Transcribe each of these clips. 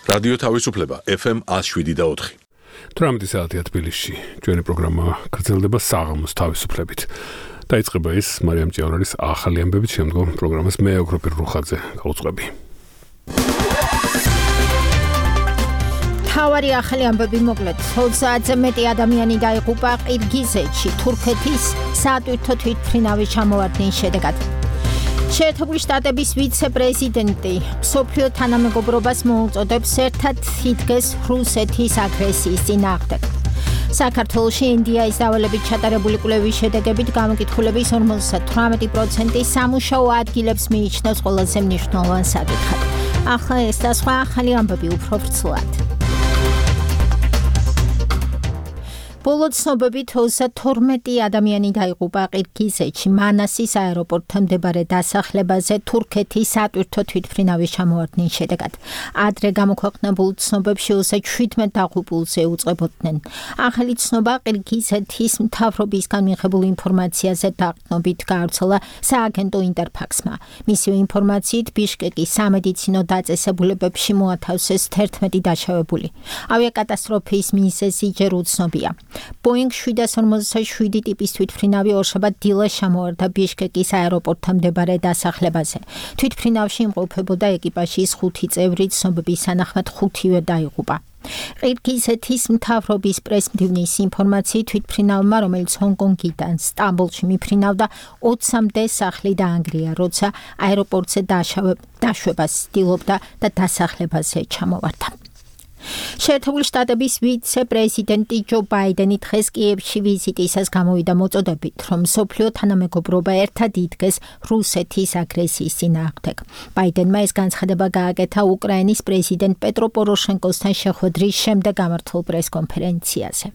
რადიო თავისუფლება FM 107.4. 18 საათია თბილისში. ჩვენი პროგრამა გრძელდება საღამოს თავისუფლებით. დაიწყება ის მარიამ ჭიავარის ახალი ამბებით, შემდგომ პროგრამას მე ოქროპირ რუხაძე გავუწყები. თავარი ახალი ამბები მოკლედ. 30-ზე მეტი ადამიანი დაიღუპა ყირგიზეთში თურქეთის საატვირთო თვითმფრინავის ჩამოვარდნის შედეგად. შეერთებული შტატების ვიცე-პრეზიდენტი მსოფლიო თანამეგობრობას მოუწოდებს ერთად იდგეს რუსეთის აგრესიის წინააღმდეგ. საქართველოში ინდიაის დავალებით ჩატარებული კვლევის შედეგებით გამოკითხულების 58% სამუშაო ადგილებს მიიჩნევს ყველაზე მნიშვნელოვან საკითხად. ახლა ეს და სხვა ახალი ამბები უფრო ვრცლად. ბოლო ცნობებით 32 ადამიანი დაიღუპა ყირგიზეთში მანასის აეროპორტთან მდებარე დასახლებაზე თურქეთის საატვირთო თვითმფრინავის ჩამოვარდნის შედეგად. ადრე გამოქვეყნებულ ცნობებში 17 დაღუპულს ეუწყებოდნენ. ახალი ცნობა ყირგიზეთის მთავრობისგან მიღებულ ინფორმაციაზე დაყრდნობით გაავრცელა სააგენტო ინტერფაქსმა. მისივე ინფორმაციით ბიშკეკის სამედიცინო დაწესებულებებში მოათავსეს 11 დაშავებული. ავიაკატასტროფის მიზეზი ჯერ უცნობია. Boeing 747 ტიპის თვითმფრინავი ორშაბათ დილას ჩამოვარდა ბიშკეკის აეროპორტთან მდებარე დასახლებაზე. თვითმფრინავში იმყოფებოდა ეკიპაჟის 5 წევრი, ცნობების თანახმად 5-ვე დაიღუპა. ყირგიზეთის მთავრობის პრესმდივნის ინფორმაციით თვითმფრინავმა, რომელიც ჰონკონგიდან სტამბოლში მიფრინავდა, 20-მდე სახლი დაანგრია, როცა აეროპორტზე დაშვებას ცდილობდა და დასახლებაზე ჩამოვარდა. შეერთებული შტატების ვიცე-პრეზიდენტი ჯო ბაიდენი დღეს კიევში ვიზიტისას გამოვიდა მოწოდებით, რომ მსოფლიო თანამეგობრობა ერთად იდგეს რუსეთის აგრესიის წინააღმდეგ. ბაიდენმა ეს განცხადება გააკეთა უკრაინის პრეზიდენტ პეტრო პოროშენკოსთან შეხვედრის შემდეგ გამართულ პრესკონფერენციაზე.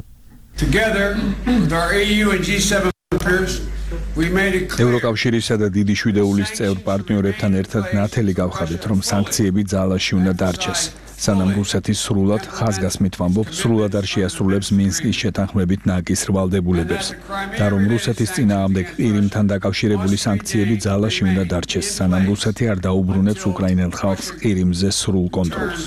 ევროკავშირისა და დიდი შვიდეულის წევრ პარტნიორებთან ერთად ნათელი გავხადეთ, რომ სანქციები ძალაში უნდა დარჩეს. სანამ რუსეთის სრულად ხაზგასმით ვამბობ, სრულად არ შეასრულებს მინსკის შეთანხმებით ნაკის ვალდებულებებს და რომ რუსეთის წინააღმდეგ ყირიმთან დაკავშირებული სანქციები ძალაში უნდა დარჩეს, სანამ რუსეთი არ დაუბრუნებს უკრაინელ ხალხს ყირიმზე სრულ კონტროლს.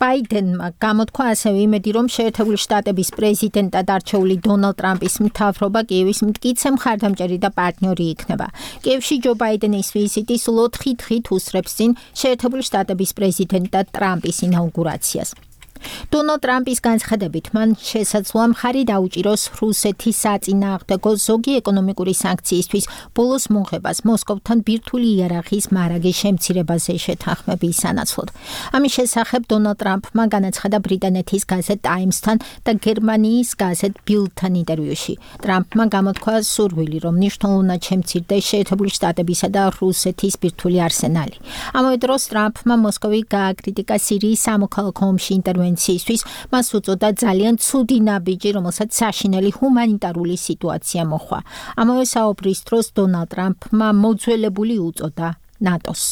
ბაიდენმა გამოთქვა ასევე იმედი, რომ შეერთებული შტატების პრეზიდენტად არჩეული დონალდ ტრამპის მთავრობა კიევის მტკიცე მხარდამჭერი და პარტნიორი იქნება. კიევში ჯო ბაიდენის ვიზიტი სულ 4 დღით უსწრებს წინ შეერთებული შტატების პრეზიდენტად ტრამპის ინაუგურაციას. დონალდ ტრამპის განცხადებით, მან შესაძლოა მხარი დაუჭიროს რუსეთის საწინააღმდეგო ზოგი ეკონომიკური სანქციისთვის ბოლოს მოღებას მოსკოვთან ბირთვული იარაღის მარაგის შემცირებაზე შეთანხმების სანაცვლოდ. ამის შესახებ დონალდ ტრამპმა განაცხადა ბრიტანეთის გაზეთ ტაიმსთან და გერმანიის გაზეთ ბილდთან ინტერვიუში. ტრამპმა გამოთქვა სურვილი, რომ მნიშვნელოვნად შემცირდეს შეერთებული შტატებისა და რუსეთის ბირთვული არსენალი. ამავე დროს ტრამპმა მოსკოვი გააკრიტიკა სირიის სამოქალაქო ომში ინტერვენციისთვის, მას უწოდა ძალიან ცუდი ნაბიჯი, რომელსაც საშინელი ჰუმანიტარული სიტუაცია მოჰყვა. ამავე საუბრის დროს დონალდ ტრამპმა მოძველებული უწოდა ნატოს.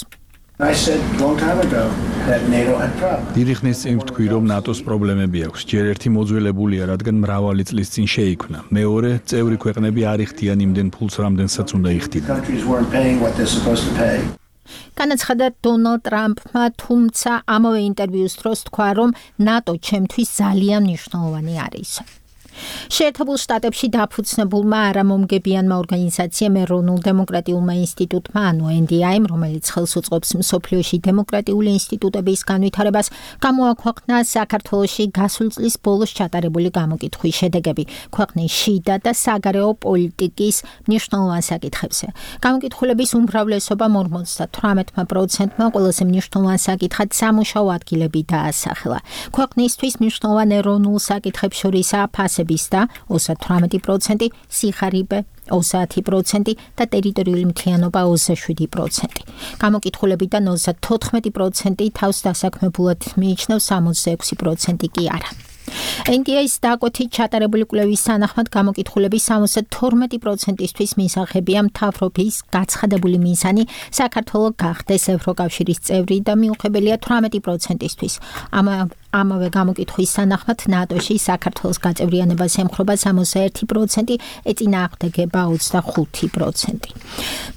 დიდი ხნის წინ ვთქვი, რომ ნატოს პრობლემები აქვს. ჯერ ერთი მოძველებულია, რადგან მრავალი წლის წინ შეიქმნა. მეორე, წევრი ქვეყნები არ იხდიან იმდენ ფულს, რამდენსაც უნდა იხდიდნენ. განაცხადა დონალდ ტრამპმა, თუმცა ამავე ინტერვიუს დროს თქვა, რომ ნატო ჩემთვის ძალიან მნიშვნელოვანი არის. შეერთებულ შტატებში დაფუძნებულმა არამომგებიანმა ორგანიზაციამ ეროვნულ დემოკრატიულმა ინსტიტუტმა, ანუ NDI-მ, რომელიც ხელს უწყობს მსოფლიოში დემოკრატიული ინსტიტუტების განვითარებას, გამოაქვეყნა საქართველოში გასული წლის ბოლოს ჩატარებული გამოკითხვის შედეგები ქვეყნის შიდა და საგარეო პოლიტიკის მნიშვნელოვან საკითხებზე. გამოკითხულების უმრავლესობამ 58%-მა ყველაზე მნიშვნელოვან საკითხად სამუშაო ადგილები დაასახელა. ქვეყნისთვის მნიშვნელოვან ეროვნულ საკითხებს შორისაა ფასები და 38%, სიხარიბე 30% და ტერიტორიული მთლიანობა 27%. გამოკითხულებიდან 34% თავს დასაქმებულად მიიჩნევს, 66% კი არა. NDI-ის დაკვეთით ჩატარებული კვლევის თანახმად გამოკითხულების 72%-ისთვის მისაღებია მთავრობის გაცხადებული მიზანი საქართველოს გახდეს ევროკავშირის წევრი და მიუღებელია 18%-ისთვის. ამავე გამოკითხვის სანახმად ნატოში საქართველოს გაწევრიანებას ემხრობა 61%, ეწინააღმდეგება 25%.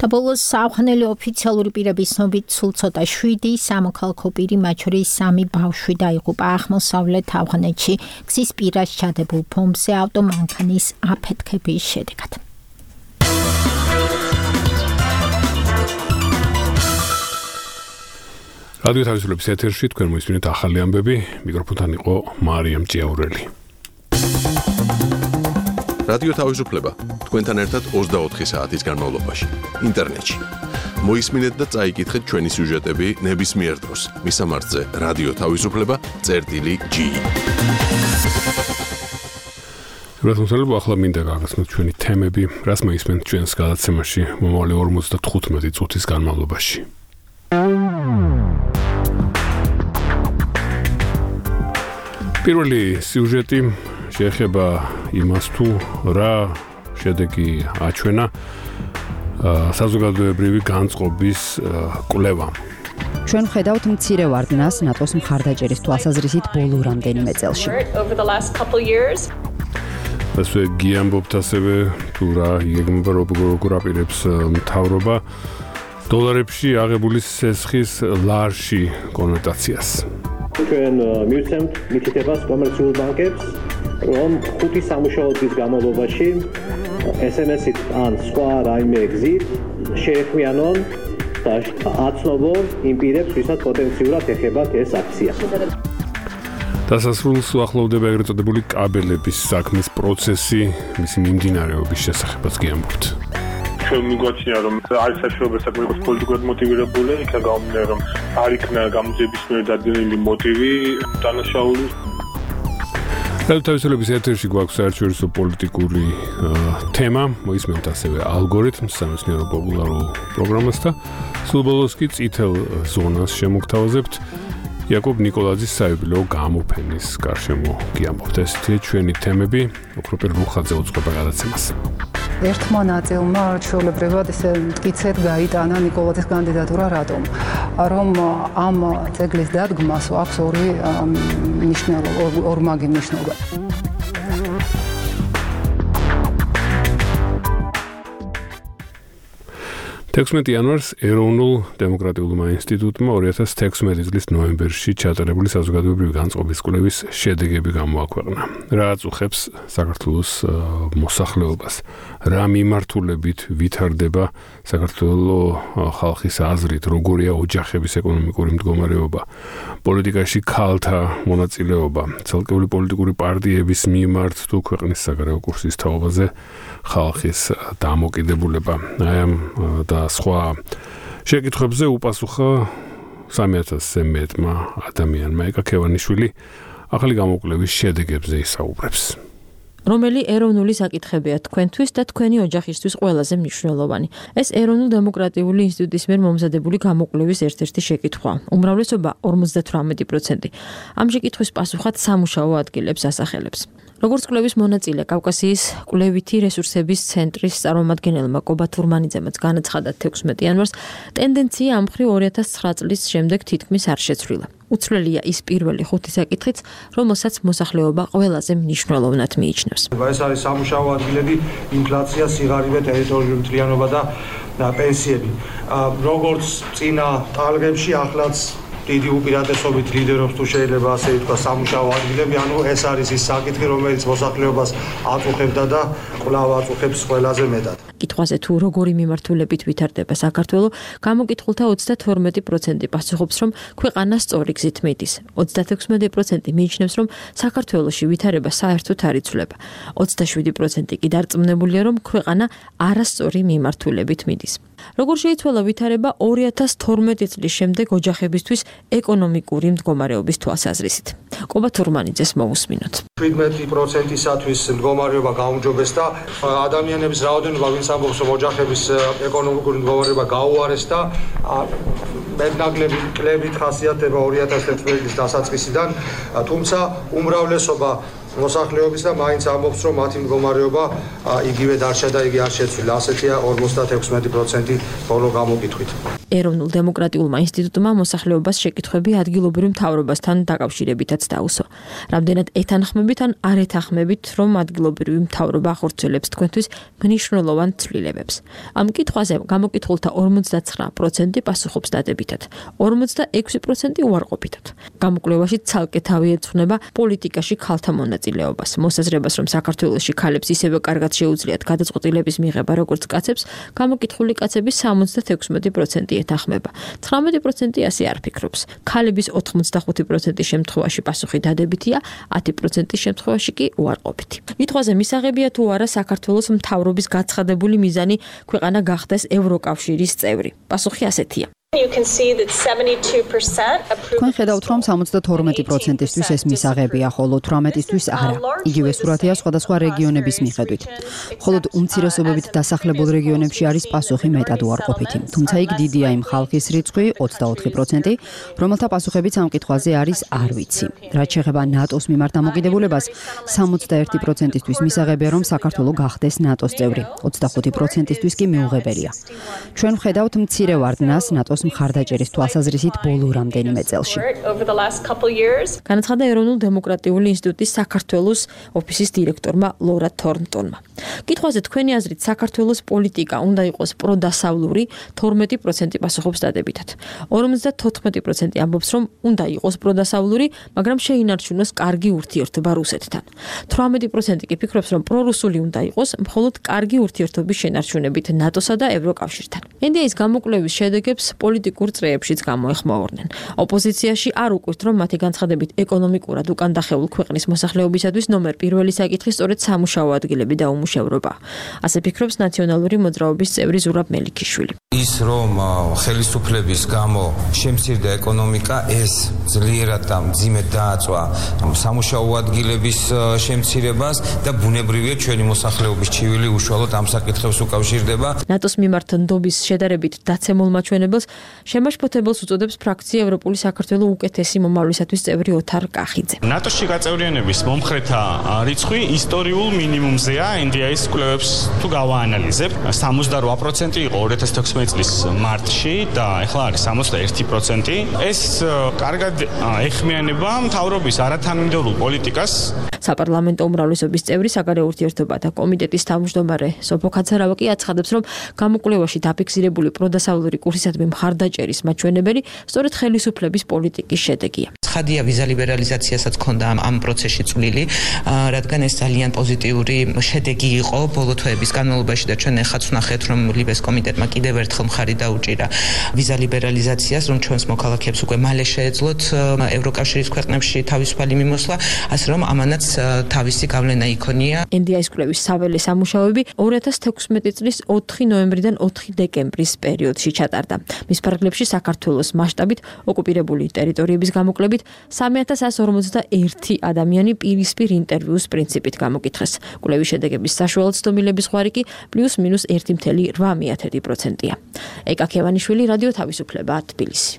და ბოლოს საახალწლო ოფიციალური პირების ცნობით სულ ცოტა 7 სამოქალაქო პირი, მათ შორის 3 ბავშვი დაიღუპა აღმოსავლეთ ავღანეთში გზის პირას ჩადებულ ბომბზე ავტომანქანის აფეთქების შედეგად. რადიო თავისუფლების ეთერში თქვენ მოისმინეთ ახალი ამბები, მიკროფონთან იყო მარიამ ჭიაურელი. რადიო თავისუფლება თქვენთან ერთად 24 საათის განმავლობაში ინტერნეტში. მოისმინეთ და წაიკითხეთ ჩვენი სიუჟეტები ნებისმიერ დროს. მისამართზე რადიო თავისუფლება.gi. რადგან ახლა მინდა გაგაცნოთ ჩვენი თემები, რას მოისმენთ ჩვენს გადაცემაში მომავალი 55 წუთის განმავლობაში. პირველი სიუჟეტი შეეხება იმას, თუ რა შედეგი აჩვენა საზოგადოებრივი განწყობის კვლევამ. ჩვენ ხედავთ მცირე ვარდნას ნატოს მხარდაჭერის თვალსაზრისით ბოლო რამდენიმე წელში. ასე გიამბობთ ასევე თუ რა იგეგმება როგორ აპირებს მთავრობა დოლარებში აღებული სესხის ლარში კონვერტაციას. ჩვენ მივცემთ მითითებას კომერციულ ბანკებს, რომ 5 სამუშაო დღის განმავლობაში SMS-ით ან სხვა რაიმე გზით შეეხვიანონ და აცნობონ იმ პირებს, ვისაც პოტენციურად ეხებათ ეს აქცია. დასასრულს უახლოვდება ეგრეთ წოდებული კაბელების საქმის პროცესი, მისი მიმდინარეობის შესახებაც გიამბობთ. ჩვენ მიგვაჩნია, რომ არის საშუალება საკუთარ პოლიტიკურად მოტივირებული, იქა გამომდინარე, რომ არ იქნა გამოძიების მიერ დადგენილი მოტივი დანაშაულის. რადიო თავისუფლების ეთერში გვაქვს საერთაშორისო პოლიტიკური თემა, მოისმენთ ასევე ალგორითმს, სამეცნიერო პოპულარულ პროგრამას და სულ ბოლოს კი წითელ ზონას შემოგთავაზებთ. იაკობ ნიკოლაძის საიუბილეო გამოფენის გარშემო გიამბობთ. ესეთი ჩვენი თემები, ოქროპირ რუხაძე უძღვება გადაცემას. ერთმა ნაწილმა ჩვეულებრივად ესე მტკიცედ გაიტანა ნიკოლაძის კანდიდატურა რატომ? რომ ამ ძეგლის დადგმას აქვს ორმაგი მნიშვნელობა. 16 იანვარს ეროვნულ დემოკრატიულმა ინსტიტუტმა 2016 წლის ნოემბერში ჩატარებული საზოგადოებრივი განწყობის კვლევის შედეგები გამოაქვეყნა. რა აწუხებს საქართველოს მოსახლეობას? რა მიმართულებით ვითარდება საქართველოს ხალხის აზრით, როგორია ოჯახების ეკონომიკური მდგომარეობა, პოლიტიკაში ქალთა მონაწილეობა, ცალკეული პოლიტიკური პარტიების მიმართ თუ ქვეყნის საგარეო კურსის თაობაზე ხალხის დამოკიდებულება. აი ამ და სხვა შეკითხვებზე უპასუხა 3000-ზე მეტმა ადამიანმა. ეკა ქევანიშვილი ახალი გამოკვლევის შედეგებზე ისაუბრებს. რომელი ეროვნული საკითხებია თქვენთვის და თქვენი ოჯახისთვის ყველაზე მნიშვნელოვანი. ეს ეროვნულ დემოკრატიული ინსტიტუტის მიერ მომზადებული გამოკვლევის ერთ-ერთი შეკითხვაა. უმრავლესობა 58% ამ შეკითხვის პასუხად სამუშაო ადგილებს ასახელებს. როგორც კვლევის მონაწილე კავკასიის კვლევითი რესურსების ცენტრის წარმომადგენელმა კობა თურმანიძემაც განაცხადა 16 იანვარს, ტენდენცია ამ მხრივ 2009 წლის შემდეგ თითქმის არ შეცვლილა. უცვლელია ის პირველი 5 საკითხიც, რომელსაც მოსახლეობა ყველაზე მნიშვნელოვნად მიიჩნევს. ეს არის სამუშაო ადგილები, ინფლაცია, სიღარიბე, ტერიტორიული მთლიანობა და პენსიები. როგორც წინა ტალღებში, ახლაც დიდი უპირატესობით ლიდერობს თუ შეიძლება ასე ითქვა სამუშაო ადგილები, ანუ ეს არის ის საკითხი, რომელიც მოსახლეობას აწუხებდა და კვლავ აწუხებს ყველაზე მეტად. კითხვაზე თუ როგორი მიმართულებით ვითარდება საქართველო, გამოკითხულთა 32% პასუხობს, რომ ქვეყანა სწორი გზით მიდის. 36% მიიჩნევს, რომ საქართველოში ვითარება საერთოდ არ იცვლება. 27% კი დარწმუნებულია, რომ ქვეყანა არასწორი მიმართულებით მიდის. როგორ შეიცვალა ვითარება 2012 წლის შემდეგ ოჯახებისთვის ეკონომიკური მდგომარეობის თვალსაზრისით? კობა თურმანიძეს მოусმინოთ. 17%-ისათვის მდგომარეობა გაუმჯობეს და ადამიანების რაოდენობა, ვინც ამბობს, რომ ოჯახების ეკონომიკური მდგომარეობა გაუარეს და მეტნაკლები კლებით ხასიათდება 2011 წლის დასაწყისიდან, თუმცა უმრავლესობა მოსახლეობის და მაინც ამბობს, რომ მათი მდგომარეობა იგივე დარჩა და იგი არ შეცვლილა. ასეთია 56% ბოლო გამოკითხვით. ეროვნულ დემოკრატიულმა ინსტიტუტმა მოსახლეობას შეკითხვები ადგილობრივ მთავრობასთან დაკავშირებითაც დაუსვა. რამდენად ეთანხმებით ან არ ეთანხმებით, რომ ადგილობრივი მთავრობა ახორციელებს თქვენთვის მნიშვნელოვან ცვლილებებს. ამ კითხვაზე გამოკითხულთა 59% პასუხობს დადებითად, 46% უარყოფითად. გამოკვლევაში ცალკე თავი ეძღვნება პოლიტიკაში ქალთა მონაწილეობას. მოსაზრებას, რომ საქართველოში ქალებს ისევე კარგად შეუძლიათ გადაწყვეტილების მიღება, როგორც კაცებს, გამოკითხული კაცების 76% ეთანხმება. 19% ასე არ ფიქრობს. ქალების 85% შემთხვევაში პასუხი დადებითია, 10% შემთხვევაში კი უარყოფითი. კითხვაზე მისაღებია თუ არა საქართველოს მთავრობის გაცხადებული მიზანი ქვეყანა გახდეს ევროკავშირის წევრი. პასუხი ასეთია. თქვენ ხედავთ, რომ 72%-ისთვის ეს მისაღებია, ხოლო 18%-ისთვის არა. იგივე სურათია სხვადასხვა რეგიონების მიხედვით. მხოლოდ უმცირესობებით დასახლებულ რეგიონებში არის პასუხი მეტად უარყოფითი. თუმცა იქ დიდია იმ ხალხის რიცხვი, 24%, რომელთა პასუხებიც ამ კითხვაზე არის არ ვიცი. რაც შეეხება ნატოს მიმართ დამოკიდებულებას, 61%-ისთვის მისაღებია, რომ საქართველო გახდეს ნატოს წევრი, 25%-ისთვის კი მიუღებელია. ჩვენ ვხედავთ მცირე ვარდნას ნატოს მხარდაჭერის თვალსაზრისით ბოლო რამდენიმე წელში. განაცხადა ეროვნულ დემოკრატიული ინსტიტუტის საქართველოს ოფისის დირექტორმა ლორა თორნტონმა. კითხვაზე თქვენი აზრით საქართველოს პოლიტიკა უნდა იყოს პროდასავლური, 12% პასუხობს დადებითად. 54% ამბობს, რომ უნდა იყოს პროდასავლური, მაგრამ შეინარჩუნოს კარგი ურთიერთობა რუსეთთან. 18% კი ფიქრობს, რომ პრორუსული უნდა იყოს, მხოლოდ კარგი ურთიერთობის შენარჩუნებით ნატოსა და ევროკავშირთან. NDI-ის გამოკვლევის შედეგებს პოლიტიკურ წრეებშიც გამოეხმაურნენ. ოპოზიციაში არ უკვირთ, რომ მათი განცხადებით ეკონომიკურად უკან დახეულ ქვეყნის მოსახლეობისათვის ნომერ პირველი საკითხი სწორედ სამუშაო ადგილები და უმუშევრობა. ასე ფიქრობს ნაციონალური მოძრაობის წევრი ზურაბ მელიქიშვილი. ის რომ ხელისუფლების გამო შემცირდა ეკონომიკა, ეს ძლიერად და მძიმედ დააწვა სამუშაო ადგილების შემცირებას და ბუნებრივია ჩვენი მოსახლეობის ჩივილი უშუალოდ ამ საკითხებს უკავშირდება. ნატოს მიმართ ნდობის შედარებით დაცემულ მაჩვენებელს შემაშფოთებელს უწოდებს ფრაქცია ევროპული საქართველოს უკეთესი მომავლისათვის წევრი ოთარ კახიძე. ნატოში გაწევრიანების მომხრეთა რიცხვი ისტორიულ მინიმუმზეა. NDI-ის კვლევებს თუ გავაანალიზებ, 78% იყო 2016 წლის მარტში და ახლა არის 61%. ეს კარგად ეხმიანება მთავრობის არათანმიმდევრულ პოლიტიკას. საპარლამენტო უმრავლესობის წევრი საგარეო ურთიერთობათა კომიტეტის თავმჯდომარე სოფო ქაცარავა კი აცხადებს, რომ გამოკვლევაში დაფიქსირებული პროდასავლური კურსისადმი მხარდაჭერის მაჩვენებელი სწორედ ხელისუფლების პოლიტიკის შედეგია. ცხადია ვიზა ლიბერალიზაციასაც ჰქონდა ამ პროცესში წვლილი, რადგან ეს ძალიან პოზიტიური შედეგი იყო ბოლო თვეების განმავლობაში და ჩვენ ახაც ვნახეთ, რომ ლიბეს კომიტეტმა კიდევ ერთხელ მხარი დაუჭირა ვიზა ლიბერალიზაციას, რომ ჩვენს მოქალაქეებს უკვე მალე შეეძლოთ ევროკავშირის ქვეყნებში თავისუფალი მიმოსვლა, ასე რომ ამანაც თავისი გავლენა იქონია. NDI-ის კვლევის საველე სამუშაოები 2016 წლის 4 ნოემბრიდან 4 დეკემბრის პერიოდში ჩატარდა. მის ფარგლებში საქართველოს მასშტაბით ოკუპირებული ტერიტორიების გამოკვლევით 3141 ადამიანი პირისპირ ინტერვიუს პრინციპით გამოკითხეს. კვლევის შედეგების საშუალო ცდომილების ხვარი კი +- 1.8%-ია. ეკა ქევანიშვილი, რადიო თავისუფლება, თბილისი.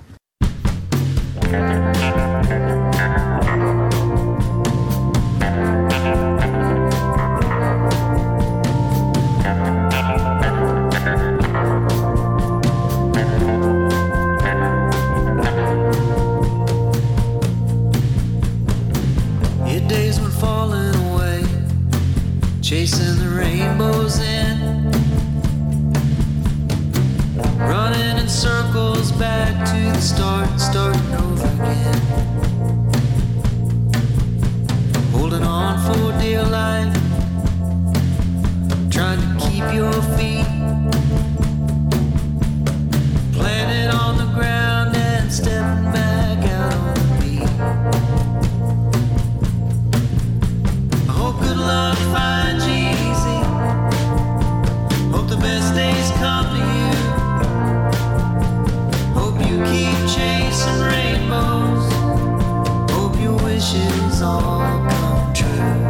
Chasing the rainbows in, running in circles back to the start, starting over again, holding on for dear life, trying to keep your feet planted on the ground and stepping back out on the beat. I hope good luck finds you easy. Hope the best days come to you. Hope you keep chasing rainbows. Hope your wishes all come true.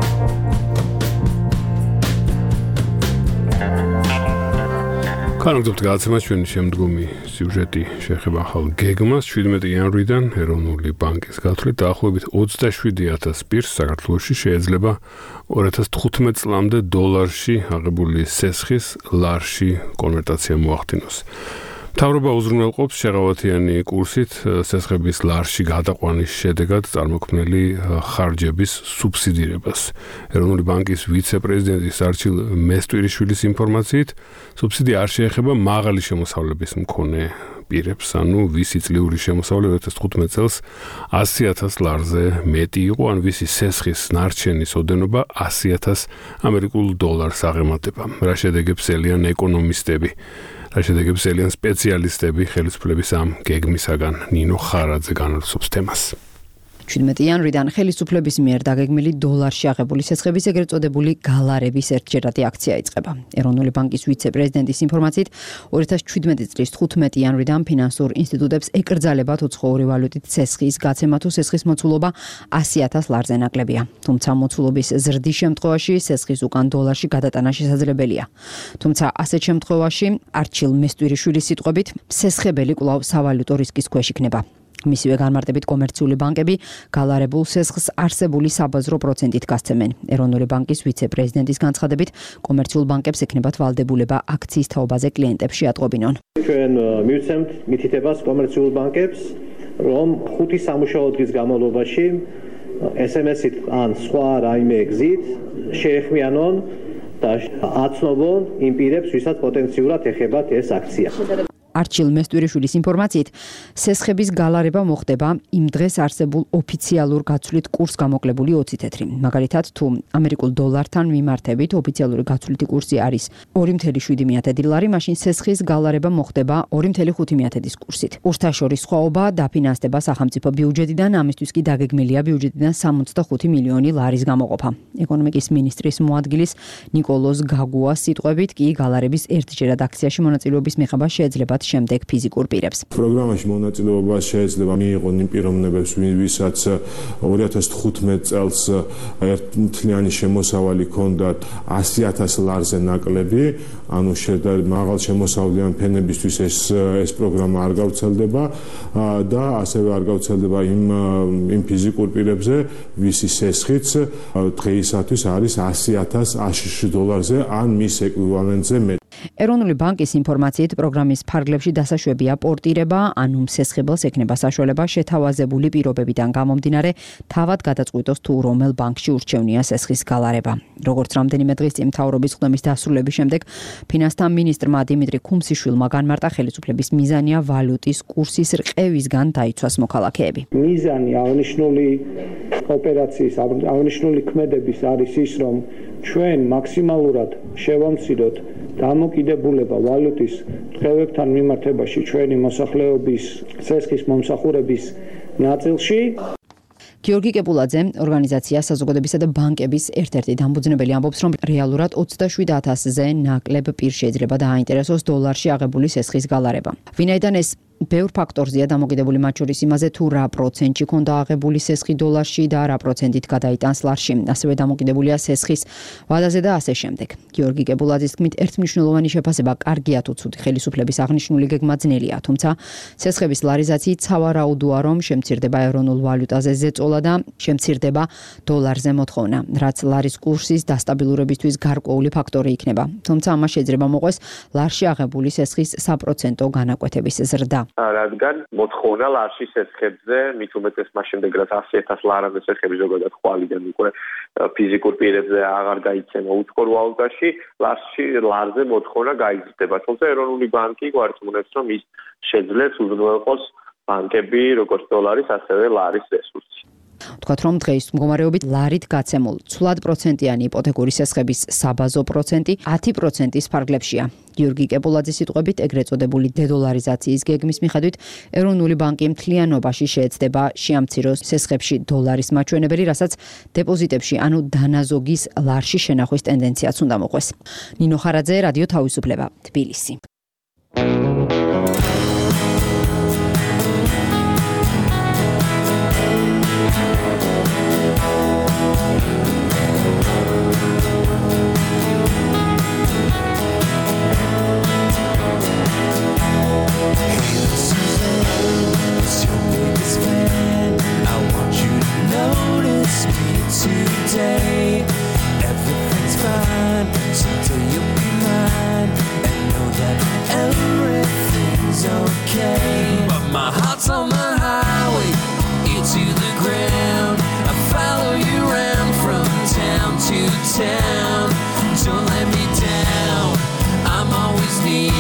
განაგრძობთ გადაცემას ჩვენი შემდგომი სიუჟეტი შეეხება ახალ გეგმას 17 იანვრიდან ეროვნული ბანკის გათვლით დაახლოებით 27,000 პირს საქართველოში შეიძლება 2015 წლამდე დოლარში აღებული სესხის ლარში კონვერტაცია მოახდინოს. მთავრობა უზრუნველყოფს შეღავათიანი კურსით სესხების ლარში გადაყვანის შედეგად წარმოქმნილი ხარჯების სუბსიდირებას. ეროვნული ბანკის ვიცე-პრეზიდენტის არჩილ მესტვირიშვილის ინფორმაციით, სუბსიდია არ შეეხება მაღალი შემოსავლების მქონე პირებს, ანუ ვისი წლიური შემოსავლე 2015 წელს 100,000 ლარზე მეტი იყო, ან ვისი სესხის ნარჩენის ოდენობა 100,000 ამერიკულ დოლარს აღემატება. რა შედეგებს ელიან ეკონომისტები? რა შედეგებს ელიან სპეციალისტები ხელისუფლების ამ გეგმისაგან? ნინო ხარაძე განაცხადებს თემას. 17 იანვრიდან ხელისუფლების მიერ დაგეგმილი დოლარში აღებული სესხების ეგრეთ წოდებული გალარების ერთჯერადი აქცია იწყება. ეროვნული ბანკის ვიცე-პრეზიდენტის ინფორმაციით, 2017 წლის 15 იანვრიდან ფინანსურ ინსტიტუტებს ეკრძალებათ უცხოური ვალუტით სესხის გაცემა თუ სესხის მოცულობა 100,000 ლარზე ნაკლებია. თუმცა მოცულობის ზრდის შემთხვევაში სესხის უკან დოლარში გადატანა შესაძლებელია. თუმცა ასეთ შემთხვევაში არჩილ მესტვირიშვილის სიტყვებით, სესხებელი კვლავ სავალუტო რისკის ქვეშ იქნება. მისივე განმარტებით კომერციული ბანკები გალარებულ სესხს არსებული საბაზრო პროცენტით გასცემენ. ეროვნული ბანკის ვიცე-პრეზიდენტის განცხადებით, კომერციულ ბანკებს ექნებათ ვალდებულება აქციის თაობაზე კლიენტებს შეატყობინონ. ჩვენ მივცემთ მითითებას კომერციულ ბანკებს, რომ 5 სამუშაო დღის განმავლობაში SMS-ით ან სხვა რაიმე გზით შეეხმიანონ და აცნობონ იმ პირებს, ვისაც პოტენციურად ეხებათ ეს აქცია. არჩილ მესტვირიშვილის ინფორმაციით, სესხების გალარება მოხდება იმ დღეს არსებულ ოფიციალურ გაცვლით კურს გამოკლებული 20 თეთრი. მაგალითად, თუ ამერიკულ დოლართან მიმართებით ოფიციალური გაცვლითი კურსი არის 2.7 ლარი, მაშინ სესხის გალარება მოხდება 2.5 კურსით. კურსთა შორის სხვაობა დაფინანსდება სახელმწიფო ბიუჯეტიდან, ამისთვის კი დაგეგმილია ბიუჯეტიდან 65 მილიონი ლარის გამოყოფა. ეკონომიკის მინისტრის მოადგილის ნიკოლოზ გაგუას სიტყვებით კი გალარების ერთჯერად აქციაში მონაწილეობის მიღება შეეძლებათ შემდეგ ფიზიკურ პირებს. პროგრამაში მონაწილეობა შეიძლება მიიღონ იმ პიროვნებებს, ვისაც 2015 წელს ერთთლიანი შემოსავალი ჰქონდათ 100,000 ლარზე ნაკლები, ანუ მაღალ შემოსავლიან ფენებისთვის ეს პროგრამა არ გავრცელდება და ასევე არ გავრცელდება იმ ფიზიკურ პირებზე, ვისი სესხიც დღეისათვის არის 100,000 აშშ დოლარზე ან მის ეკვივალენტზე მეტი. ეროვნული ბანკის ინფორმაციით, პროგრამის ფარგლებში დასაშვებია პორტირება, ანუ მსესხებელს ექნება საშუალება შეთავაზებული პირობებიდან გამომდინარე, თავად გადაწყვიტოს თუ რომელ ბანკში ურჩევნია სესხის გალარება. როგორც რამდენიმე დღის წინ მთავრობის ხდომის დასრულების შემდეგ, ფინანსთა მინისტრმა დიმიტრი ქუმსიშვილმა განმარტა, ხელისუფლების მიზანია ვალუტის კურსის რყევისგან დაიცვას მოქალაქეები. მიზანი აღნიშნული ოპერაციის, აღნიშნული ქმედების არის ის, რომ ჩვენ მაქსიმალურად შევამციროთ დამოკიდებულება ვალუტის რყევებთან მიმართებაში ჩვენი მოსახლეობის სესხის მომსახურების ნაწილში. გიორგი კეპულაძე, ორგანიზაცია საზოგადოებისა და ბანკების ერთ-ერთი დამფუძნებელი, ამბობს, რომ რეალურად 27,000-ზე ნაკლებ პირს შეიძლება დააინტერესოს დოლარში აღებული სესხის გალარება. ვინაიდან ეს ბევრ ფაქტორზეა დამოკიდებული, მათ შორის იმაზე, თუ რა პროცენტში ქონდა აღებული სესხი დოლარში და რა პროცენტით გადაიტანს ლარში, ასევე დამოკიდებულია სესხის ვადაზე და ასე შემდეგ. გიორგი კეპულაძის თქმით, ერთმნიშვნელოვანი შეფასება კარგია თუ ცუდი ხელისუფლების აღნიშნული გეგმა ძნელია, თუმცა სესხების ლარიზაციით სავარაუდოა, რომ შემცირდება ეროვნულ ვალუტაზე ზეწოლა და შემცირდება დოლარზე მოთხოვნა, რაც ლარის კურსის დასტაბილურებისთვის გარკვეული ფაქტორი იქნება. თუმცა ამას შეიძლება მოყვეს ლარში აღებული სესხის საპროცენტო განაკვეთების ზრდა. რადგან მოთხოვნა ლარში სესხებზე, მით უმეტეს მას შემდეგ, რაც 100,000 ლარაზე სესხები ზოგადად ხვალიდან უკვე ფიზიკურ პირებზე აღარ გაიცემა უცხოურ ვალუტაში, ლარზე მოთხოვნა გაიზრდება. თუმცა ეროვნული ბანკი გვარცხნევს, რომ ის შეძლებს უზრუნველყოს ბანკები როგორც დოლარის, ასევე ლარის რესურსი. ვთქვათ, რომ დღეის მდგომარეობით ლარით გაცემულ ცვლად პროცენტიანი იპოთეკური სესხების საბაზო პროცენტი 10%-ის ფარგლებშია. გიორგი კეპულაძის სიტყვებით, ეგრეთ წოდებული დედოლარიზაციის გეგმის მიხედვით, ეროვნული ბანკი მთლიანობაში შეეცდება შეამციროს სესხებში დოლარის მაჩვენებელი, რასაც დეპოზიტებში, ანუ დანაზოგის ლარში შენახვის ტენდენციაც უნდა მოყვეს. ნინო ხარაძე, რადიო თავისუფლება, თბილისი. Everything's fine, someday you'll be mine, and know that everything's okay. But my heart's on the highway, ear to the ground. I follow you around from town to town. Don't let me down, I'm always near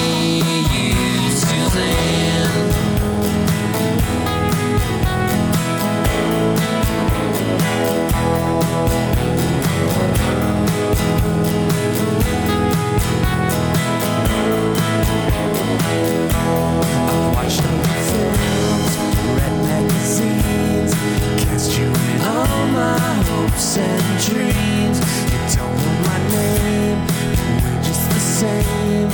you till then. I've watched all the films, read magazines, cast you in all my hopes and dreams. You don't know my name, we're just the same.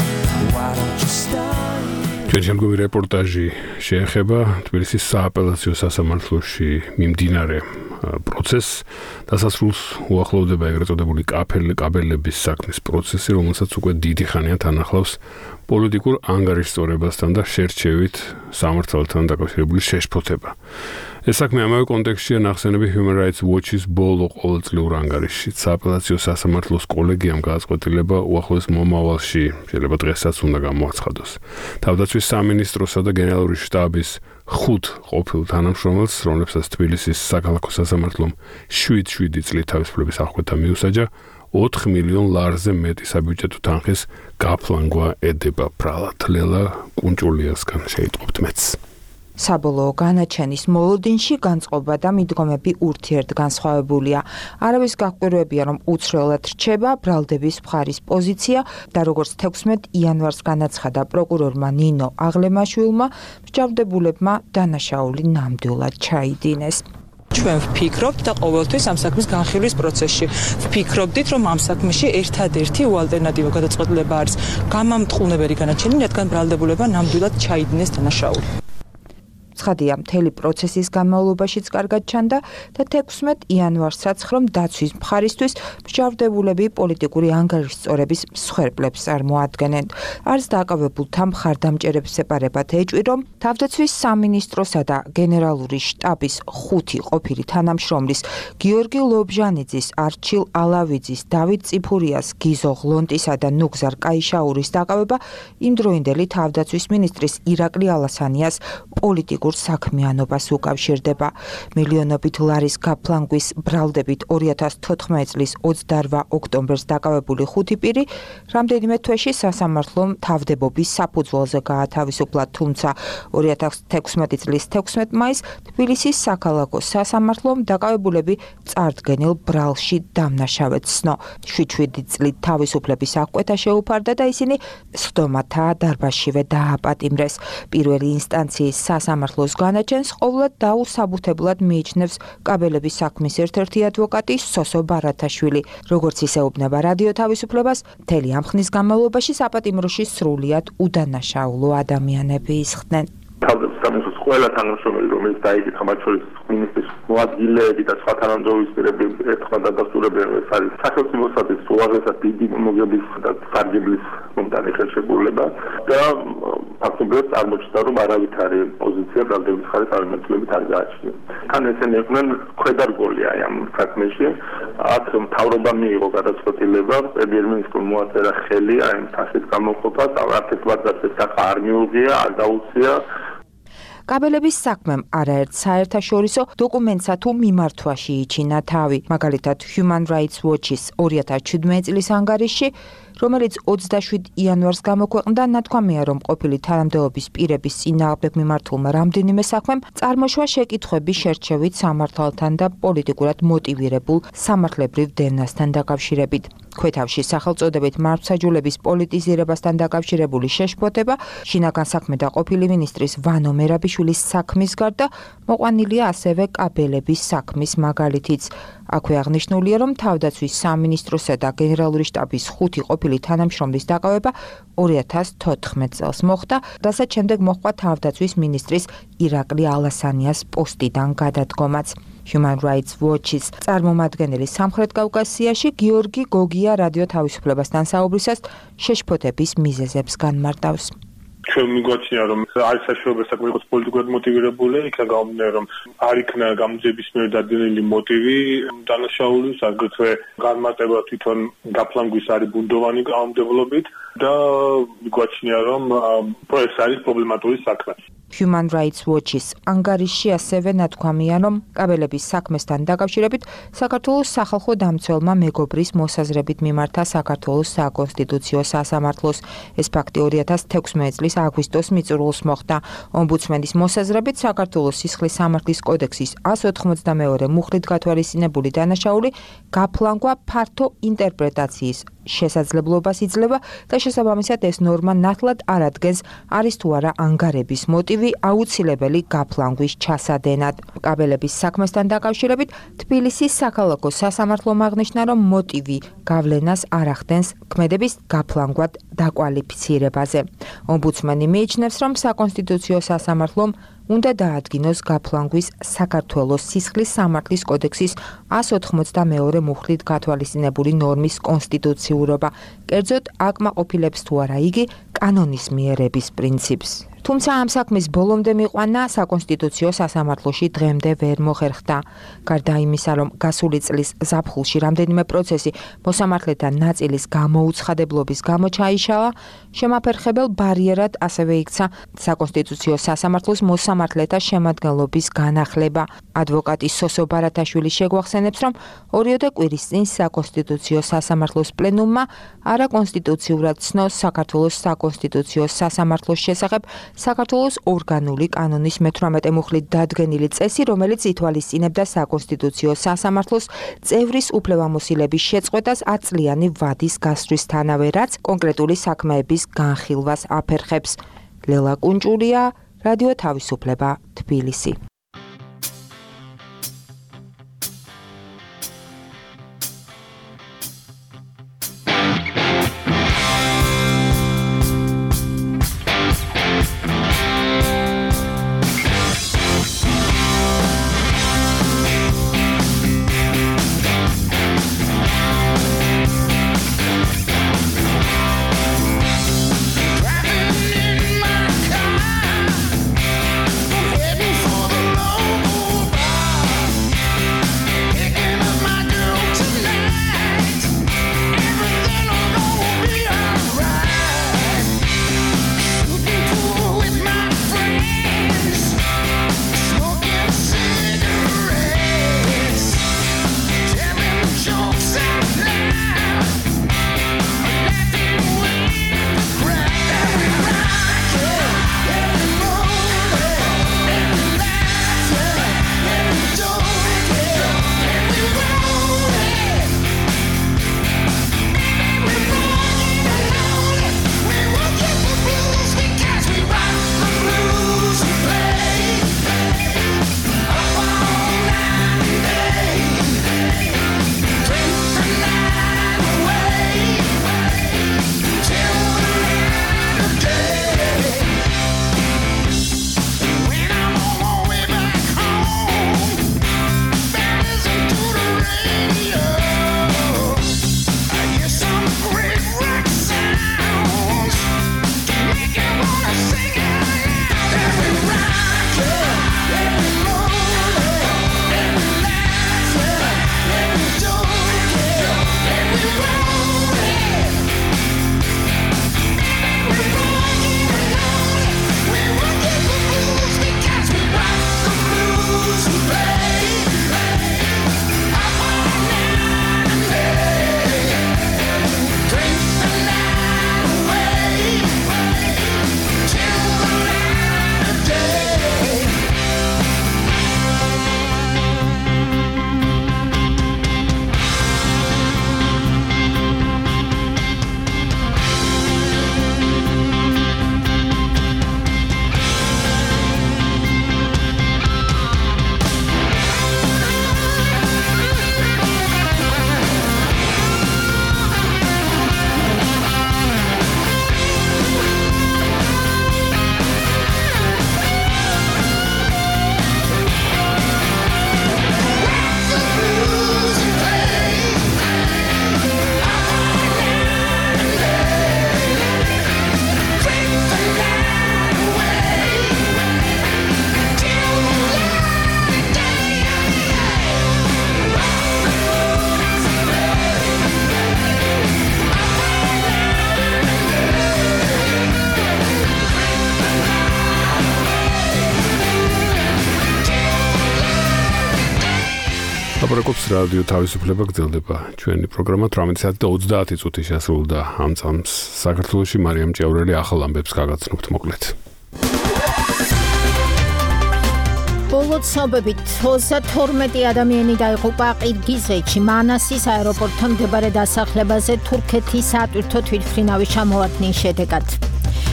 Why don't you start? ჩვენ შემდგომი რეპორტაჟი შეეხება თბილისის სააპელაციო სასამართლოში მიმდინარე პროცესს. დასასრულს უახლოვდება ეგრეთ წოდებული კაბელების საქმის პროცესი, რომელსაც უკვე დიდი ხანია თან ახლავს პოლიტიკურ ანგარიშსწორებასთან და შერჩევით სამართალთან დაკავშირებული შეშფოთება. ეს საქმე ამავე კონტექსტშია ნახსენები Human Rights Watch-ის ბოლო ყოველწლიურ ანგარიშში. სააპელაციო სასამართლოს კოლეგიამ გააწყვეტილება უახლოეს მომავალში, შეიძლება დღესაც უნდა გამოაცხადოს. თავდაცვის სამინისტროსა და გენერალური შტაბის 5 ყოფილ თანამშრომელს, რომლებსაც თბილისის საქალაქო სასამართლომ 7 წლით თავისუფლების აღკვეთა მიუსაჯა, 4 მილიონ ლარზე მეტი საბიუჯეტო თანხის გაფლანგვა ედება ბრალად. ლელა კუნჭულიასგან შეიტყობთ მეც. საბოლოო განაჩენის მოლოდინში განწყობა და მიდგომები ურთიერთგანსხვავებულია. არავის გაკვირვებია, რომ უცვლელად რჩება ბრალდების მხარის პოზიცია და როგორც 16 იანვარს განაცხადა პროკურორმა ნინო აღლემაშვილმა, მსჯავრდებულებმა დანაშაული ნამდვილად ჩაიდინეს. ჩვენ ვფიქრობთ და ყოველთვის ამ საქმის განხილვის პროცესში ვფიქრობდით, რომ ამ საქმეში ერთადერთი ალტერნატივა გადაწყვეტილება არის გამამტყუნებელი განაჩენი, რადგან ბრალდებულებმა ნამდვილად ჩაიდინეს დანაშაული. ცხადია, მთელი პროცესის განმავლობაშიც კარგად ჩანდა და 16 იანვარსაც ხომ დაცვის მხარისთვის მსჯავრდებულები პოლიტიკური ანგარიშსწორების მსხვერპლებს წარმოადგენენ. არც დააკავებულთა მხარდამჭერებს ეპარებათ ეჭვი, რომ თავდაცვის სამინისტროსა და გენერალური შტაბის 5 ყოფილი თანამშრომლის გიორგი ლობჟანიძის, არჩილ ალავიძის, დავით წიფურიას, გიზო ღლონტისა და ნუგზარ კაიშაურის დააკავება იმდროინდელი თავდაცვის მინისტრის ირაკლი ალასანიას პოლიტიკურ საქმიანობას უკავშირდება. მილიონობით ლარის გაფლანგვის ბრალდებით 2014 წლის 28 ოქტომბერს დაკავებული 5 პირი რამდენიმე თვეში სასამართლომ თავდებობის საფუძველზე გაათავისუფლა, თუმცა 2016 წლის 16 მაისს თბილისის საქალაქო სასამართლომ დაკავებულები წარდგენილ ბრალში დამნაშავედ ცნო. 7 წლით თავისუფლების აღკვეთა შეუფარდა და ისინი სხდომათა დარბაზშივე დააპატიმრეს. პირველი ინსტანციის სასამართლო განაჩენს ყოვლად დაუსაბუთებლად მიიჩნევს კაბელების საქმის ერთ-ერთი ადვოკატი სოსო ბარათაშვილი. როგორც ისეუბნება რადიო თავისუფლებას, მთელი ამ ხნის განმავლობაში საპატიმროში სრულიად უდანაშაულო ადამიანები ისხდნენ. თავდაცვის ყველა თანამშრომელი, რომელიც დაიკითხა, მათ შორის მინისტრის მოადგილეები და სხვა თანამდებობები ერთხმად დადასტურებენ, ეს არის სახელმწიფოსათვის უაღრესად დიდი მოგების და სარგებლის მომდანი ხელშეკრულება და ფაქტობრივად წარმოჩნდა, რომ არავითარი პოზიცია ბრალდების მხარის არამცვლელობით არ გააჩნია. თან ესენი იყვნენ ქვედარგოლი ამ საქმეში. აქ მთავრობა მიიღო გადაწყვეტილება, პრემიერ-მინისტრმა მოაწერა ხელი ამ თანხის გამოყოფას, არც ვარდას ეს საქმე არ მიუღია, არ დაუცია. კაბელების საქმემ არაერთ საერთაშორისო დოკუმენტსა თუ მიმართვაში იჩინა თავი. მაგალითად, Human Rights Watch-ის 2017 წლის ანგარიშში, რომელიც 27 იანვარს გამოქვეყნდა, ნათქვამია, რომ ყოფილი თანამდებობის პირების წინააღმდეგ მიმართულმა რამდენიმე საქმემ წარმოშვა შეკითხვები შერჩევით სამართალთან და პოლიტიკურად მოტივირებულ სამართლებრივ დევნასთან დაკავშირებით. ქვეთავში სახელწოდებით მართლმსაჯულების პოლიტიზირებასთან დაკავშირებული შეშფოთება, შინაგან საქმე და ყოფილი მინისტრის ვანო მერაბიშვილის საქმის გარდა მოყვანილია ასევე კაბელების საქმის მაგალითიც. აქვე აღნიშნულია, რომ თავდაცვის სამინისტროსა და გენერალური შტაბის 5 ყოფილი თანამშრომლის დაკავება 2014 წელს მოხდა, რასაც შემდეგ მოჰყვა თავდაცვის მინისტრის ირაკლი ალასანიას პოსტიდან გადადგომაც. Human Rights Watch-ის წარმომადგენელი სამხრეთ კავკასიაში გიორგი გოგია რადიო თავისუფლებასთან საუბრისას შეშფოთების მიზეზებს განმარტავს. ჩვენ მიგვაჩნია რომ არის საშუალება საქმე იყოს პოლიტიკურად მოტივირებული, იქა გამომდინარე რომ არ იქნა გამოძიების მიერ დადგენილი მოტივი დანაშაულის, აგრეთვე განმარტება თვითონ გაფლანგვის არის ბუნდოვანი კანონმდებლობით და მიგვაჩნია რომ ეს არის პრობლემატური საქმე. Human Rights Watch-ის ანგარიშში ასევე ნათქვამია, რომ კაბელების საქმესთან დაკავშირებით საქართველოს სახალხო დამცველმა მეგობრის მოსაზრებით მიმართა საქართველოს საკონსტიტუციო სასამართლოს. ეს ფაქტი 2016 წლის აგვისტოს მიწურულს მოხდა. ომბუდსმენის მოსაზრებით საქართველოს სისხლის სამართლის კოდექსის 182 მუხლით გათვალისწინებული დანაშაული გაფლანგვა ფართო ინტერპრეტაციის შესაძლებლობას იძლევა და შესაბამისად ეს ნორმა ნათლად არ ადგენს არის თუ არა ანგარების მოტივი აუცილებელი გაფლანგვის ჩასადენად. კაბელების საქმესთან დაკავშირებით თბილისის საქალაქო სასამართლომ აღნიშნა, რომ მოტივი გავლენას არ ახდენს ქმედების გაფლანგვად დაკვალიფიცირებაზე. ომბუდსმენი მიიჩნევს, რომ საკონსტიტუციო სასამართლომ უნდა დაადგინოს გაფლანგვის საქართველოს სისხლის სამართლის კოდექსის 182 მუხლით გათვალისწინებული ნორმის კონსტიტუციურობა, კერძოდ აკმაყოფილებს თუ არა იგი კანონის მიერების პრინციპს. თუმცა ამ საქმის ბოლომდე მიყვანა საკონსტიტუციო სასამართლოში დღემდე ვერ მოხერხდა. გარდა იმისა, რომ გასული წლის ზაფხულში რამდენიმე პროცესი მოსამართლეთა ნაწილის გამოუცხადებლობის გამო ჩაიშალა, შემაფერხებელ ბარიერად ასევე იქცა საკონსტიტუციო სასამართლოს მოსამართლეთა შემადგენლობის განახლება. ადვოკატი სოსო ბარათაშვილი შეგვახსენებს, რომ 2 კვირის წინ საკონსტიტუციო სასამართლოს პლენუმმა არაკონსტიტუციურად ცნოს საქართველოს საკონსტიტუციო სასამართლოს შესახებ საქართველოს ორგანული კანონის 18 მუხლით დადგენილი წესი, რომელიც ითვალისწინებდა საკონსტიტუციო სასამართლოს წევრის უფლებამოსილების შეწყვეტას 10 წლიანი ვადის გასვლისთანავე, რაც კონკრეტული საქმეების განხილვას აფერხებს. ლელა კუნჭულია, რადიო თავისუფლება, თბილისი. For the ლაპარაკობს რადიო თავისუფლება გრძელდება ჩვენი პროგრამა 18:30 წუთი შესრულდა ამ წამს საქართველოში მარიამ ჭიაურელი ახალ ამბებს გაგაცნობთ მოკლედ. ბოლო ცნობებით 32 ადამიანი დაიღუპა ყირგიზეთში მანასის აეროპორტთან მდებარე დასახლებაზე თურქეთის სატვირთო თვითმფრინავის ჩამოვარდნის შედეგად.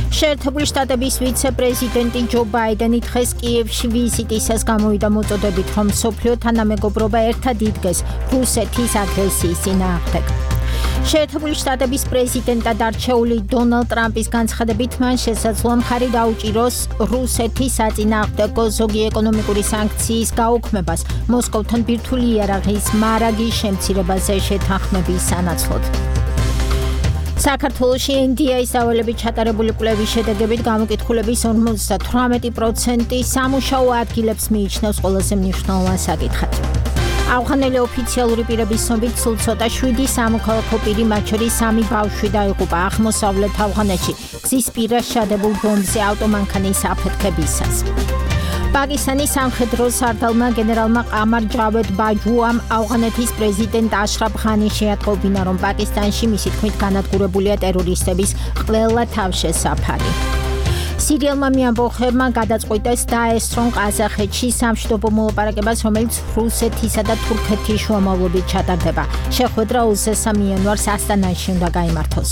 შეერთებული შტატების ვიცე-პრეზიდენტი ჯო ბაიდენი დღეს კიევში ვიზიტისას გამოვიდა მოწოდებით, რომ მსოფლიო თანამეგობრობა ერთად იდგეს რუსეთის აგრესიის წინააღმდეგ. შეერთებული შტატების პრეზიდენტად არჩეული დონალდ ტრამპის განცხადებით მან შესაძლოა მხარი დაუჭიროს რუსეთის საწინააღმდეგო ზოგი ეკონომიკური სანქციის გაუქმებას მოსკოვთან ბირთვული იარაღის მარაგის შემცირებაზე შეთანხმების სანაცვლოდ. საქართველოში NDI-ის დავალებით ჩატარებული კვლევის შედეგებით გამოკითხულების 58% სამუშაო ადგილებს მიიჩნევს ყველაზე მნიშვნელოვან საკითხად. ავღანელი ოფიციალური პირების ცნობით სულ ცოტა 7 სამოქალაქო პირი, მათ შორის 3 ბავშვი დაიღუპა აღმოსავლეთ ავღანეთში გზის პირას ჩადებულ ბომბზე ავტომანქანის აფეთქებისას. პაკისტანის სამხედრო სარდალმა გენერალმა ყამარ ჯავედ ბაჯუამ ავღანეთის პრეზიდენტ აშრაფ ღანის შეატყობინა, რომ პაკისტანში მისი თქმით განადგურებულია ტერორისტების ყველა თავშესაფარი. სირიელმა მიამბოხებმა გადაწყვიტეს დაესწრონ ყაზახეთში სამშვიდობო მოლაპარაკებას, რომელიც რუსეთისა და თურქეთის შუამავლობით ჩატარდება. შეხვედრა 23 იანვარს ასტანაში უნდა გაიმართოს.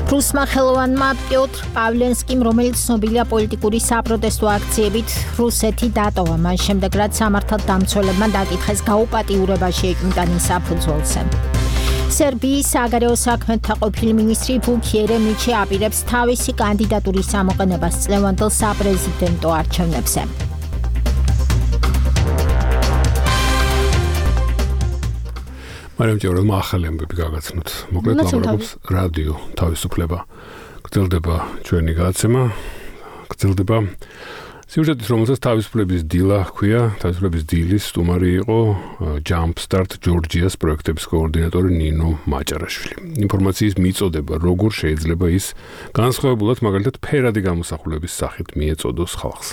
რუსმა ხელოვანმა პიოტრ პავლენსკიმ, რომელიც ცნობილია პოლიტიკური საპროტესტო აქციებით, რუსეთი დატოვა. მას შემდეგ, რაც სამართალდამცველებმა დაკითხეს გაუპატიურება შეიჭმიტანის საფუძველზე. სერბიის საგარეო საქმეთა ყოფილი მინისტრი ვუკ იერემიჩი აპირებს თავისი კანდიდატურის გამოყენებას წლევანდელ საპრეზიდენტო არჩევნებზე. მარიამ ჭიაურელმა ახალი ამბები გაგაცნოთ. მოკლედ ლაპარაკობს რადიო თავისუფლება. გრძელდება ჩვენი გადაცემა. გრძელდება სიუჟეტის, რომელსაც თავისუფლების დილა ჰქვია, თავისუფლების დილის სტუმარი იყო Jumpstart Georgia's პროექტების კოორდინატორი ნინო მაჭარაშვილი. ინფორმაციის მიწოდება, როგორ შეიძლება ის განსხვავებულად მაგალითად ფერადი გამოსახულების სახით მიეწოდოს ხალხს.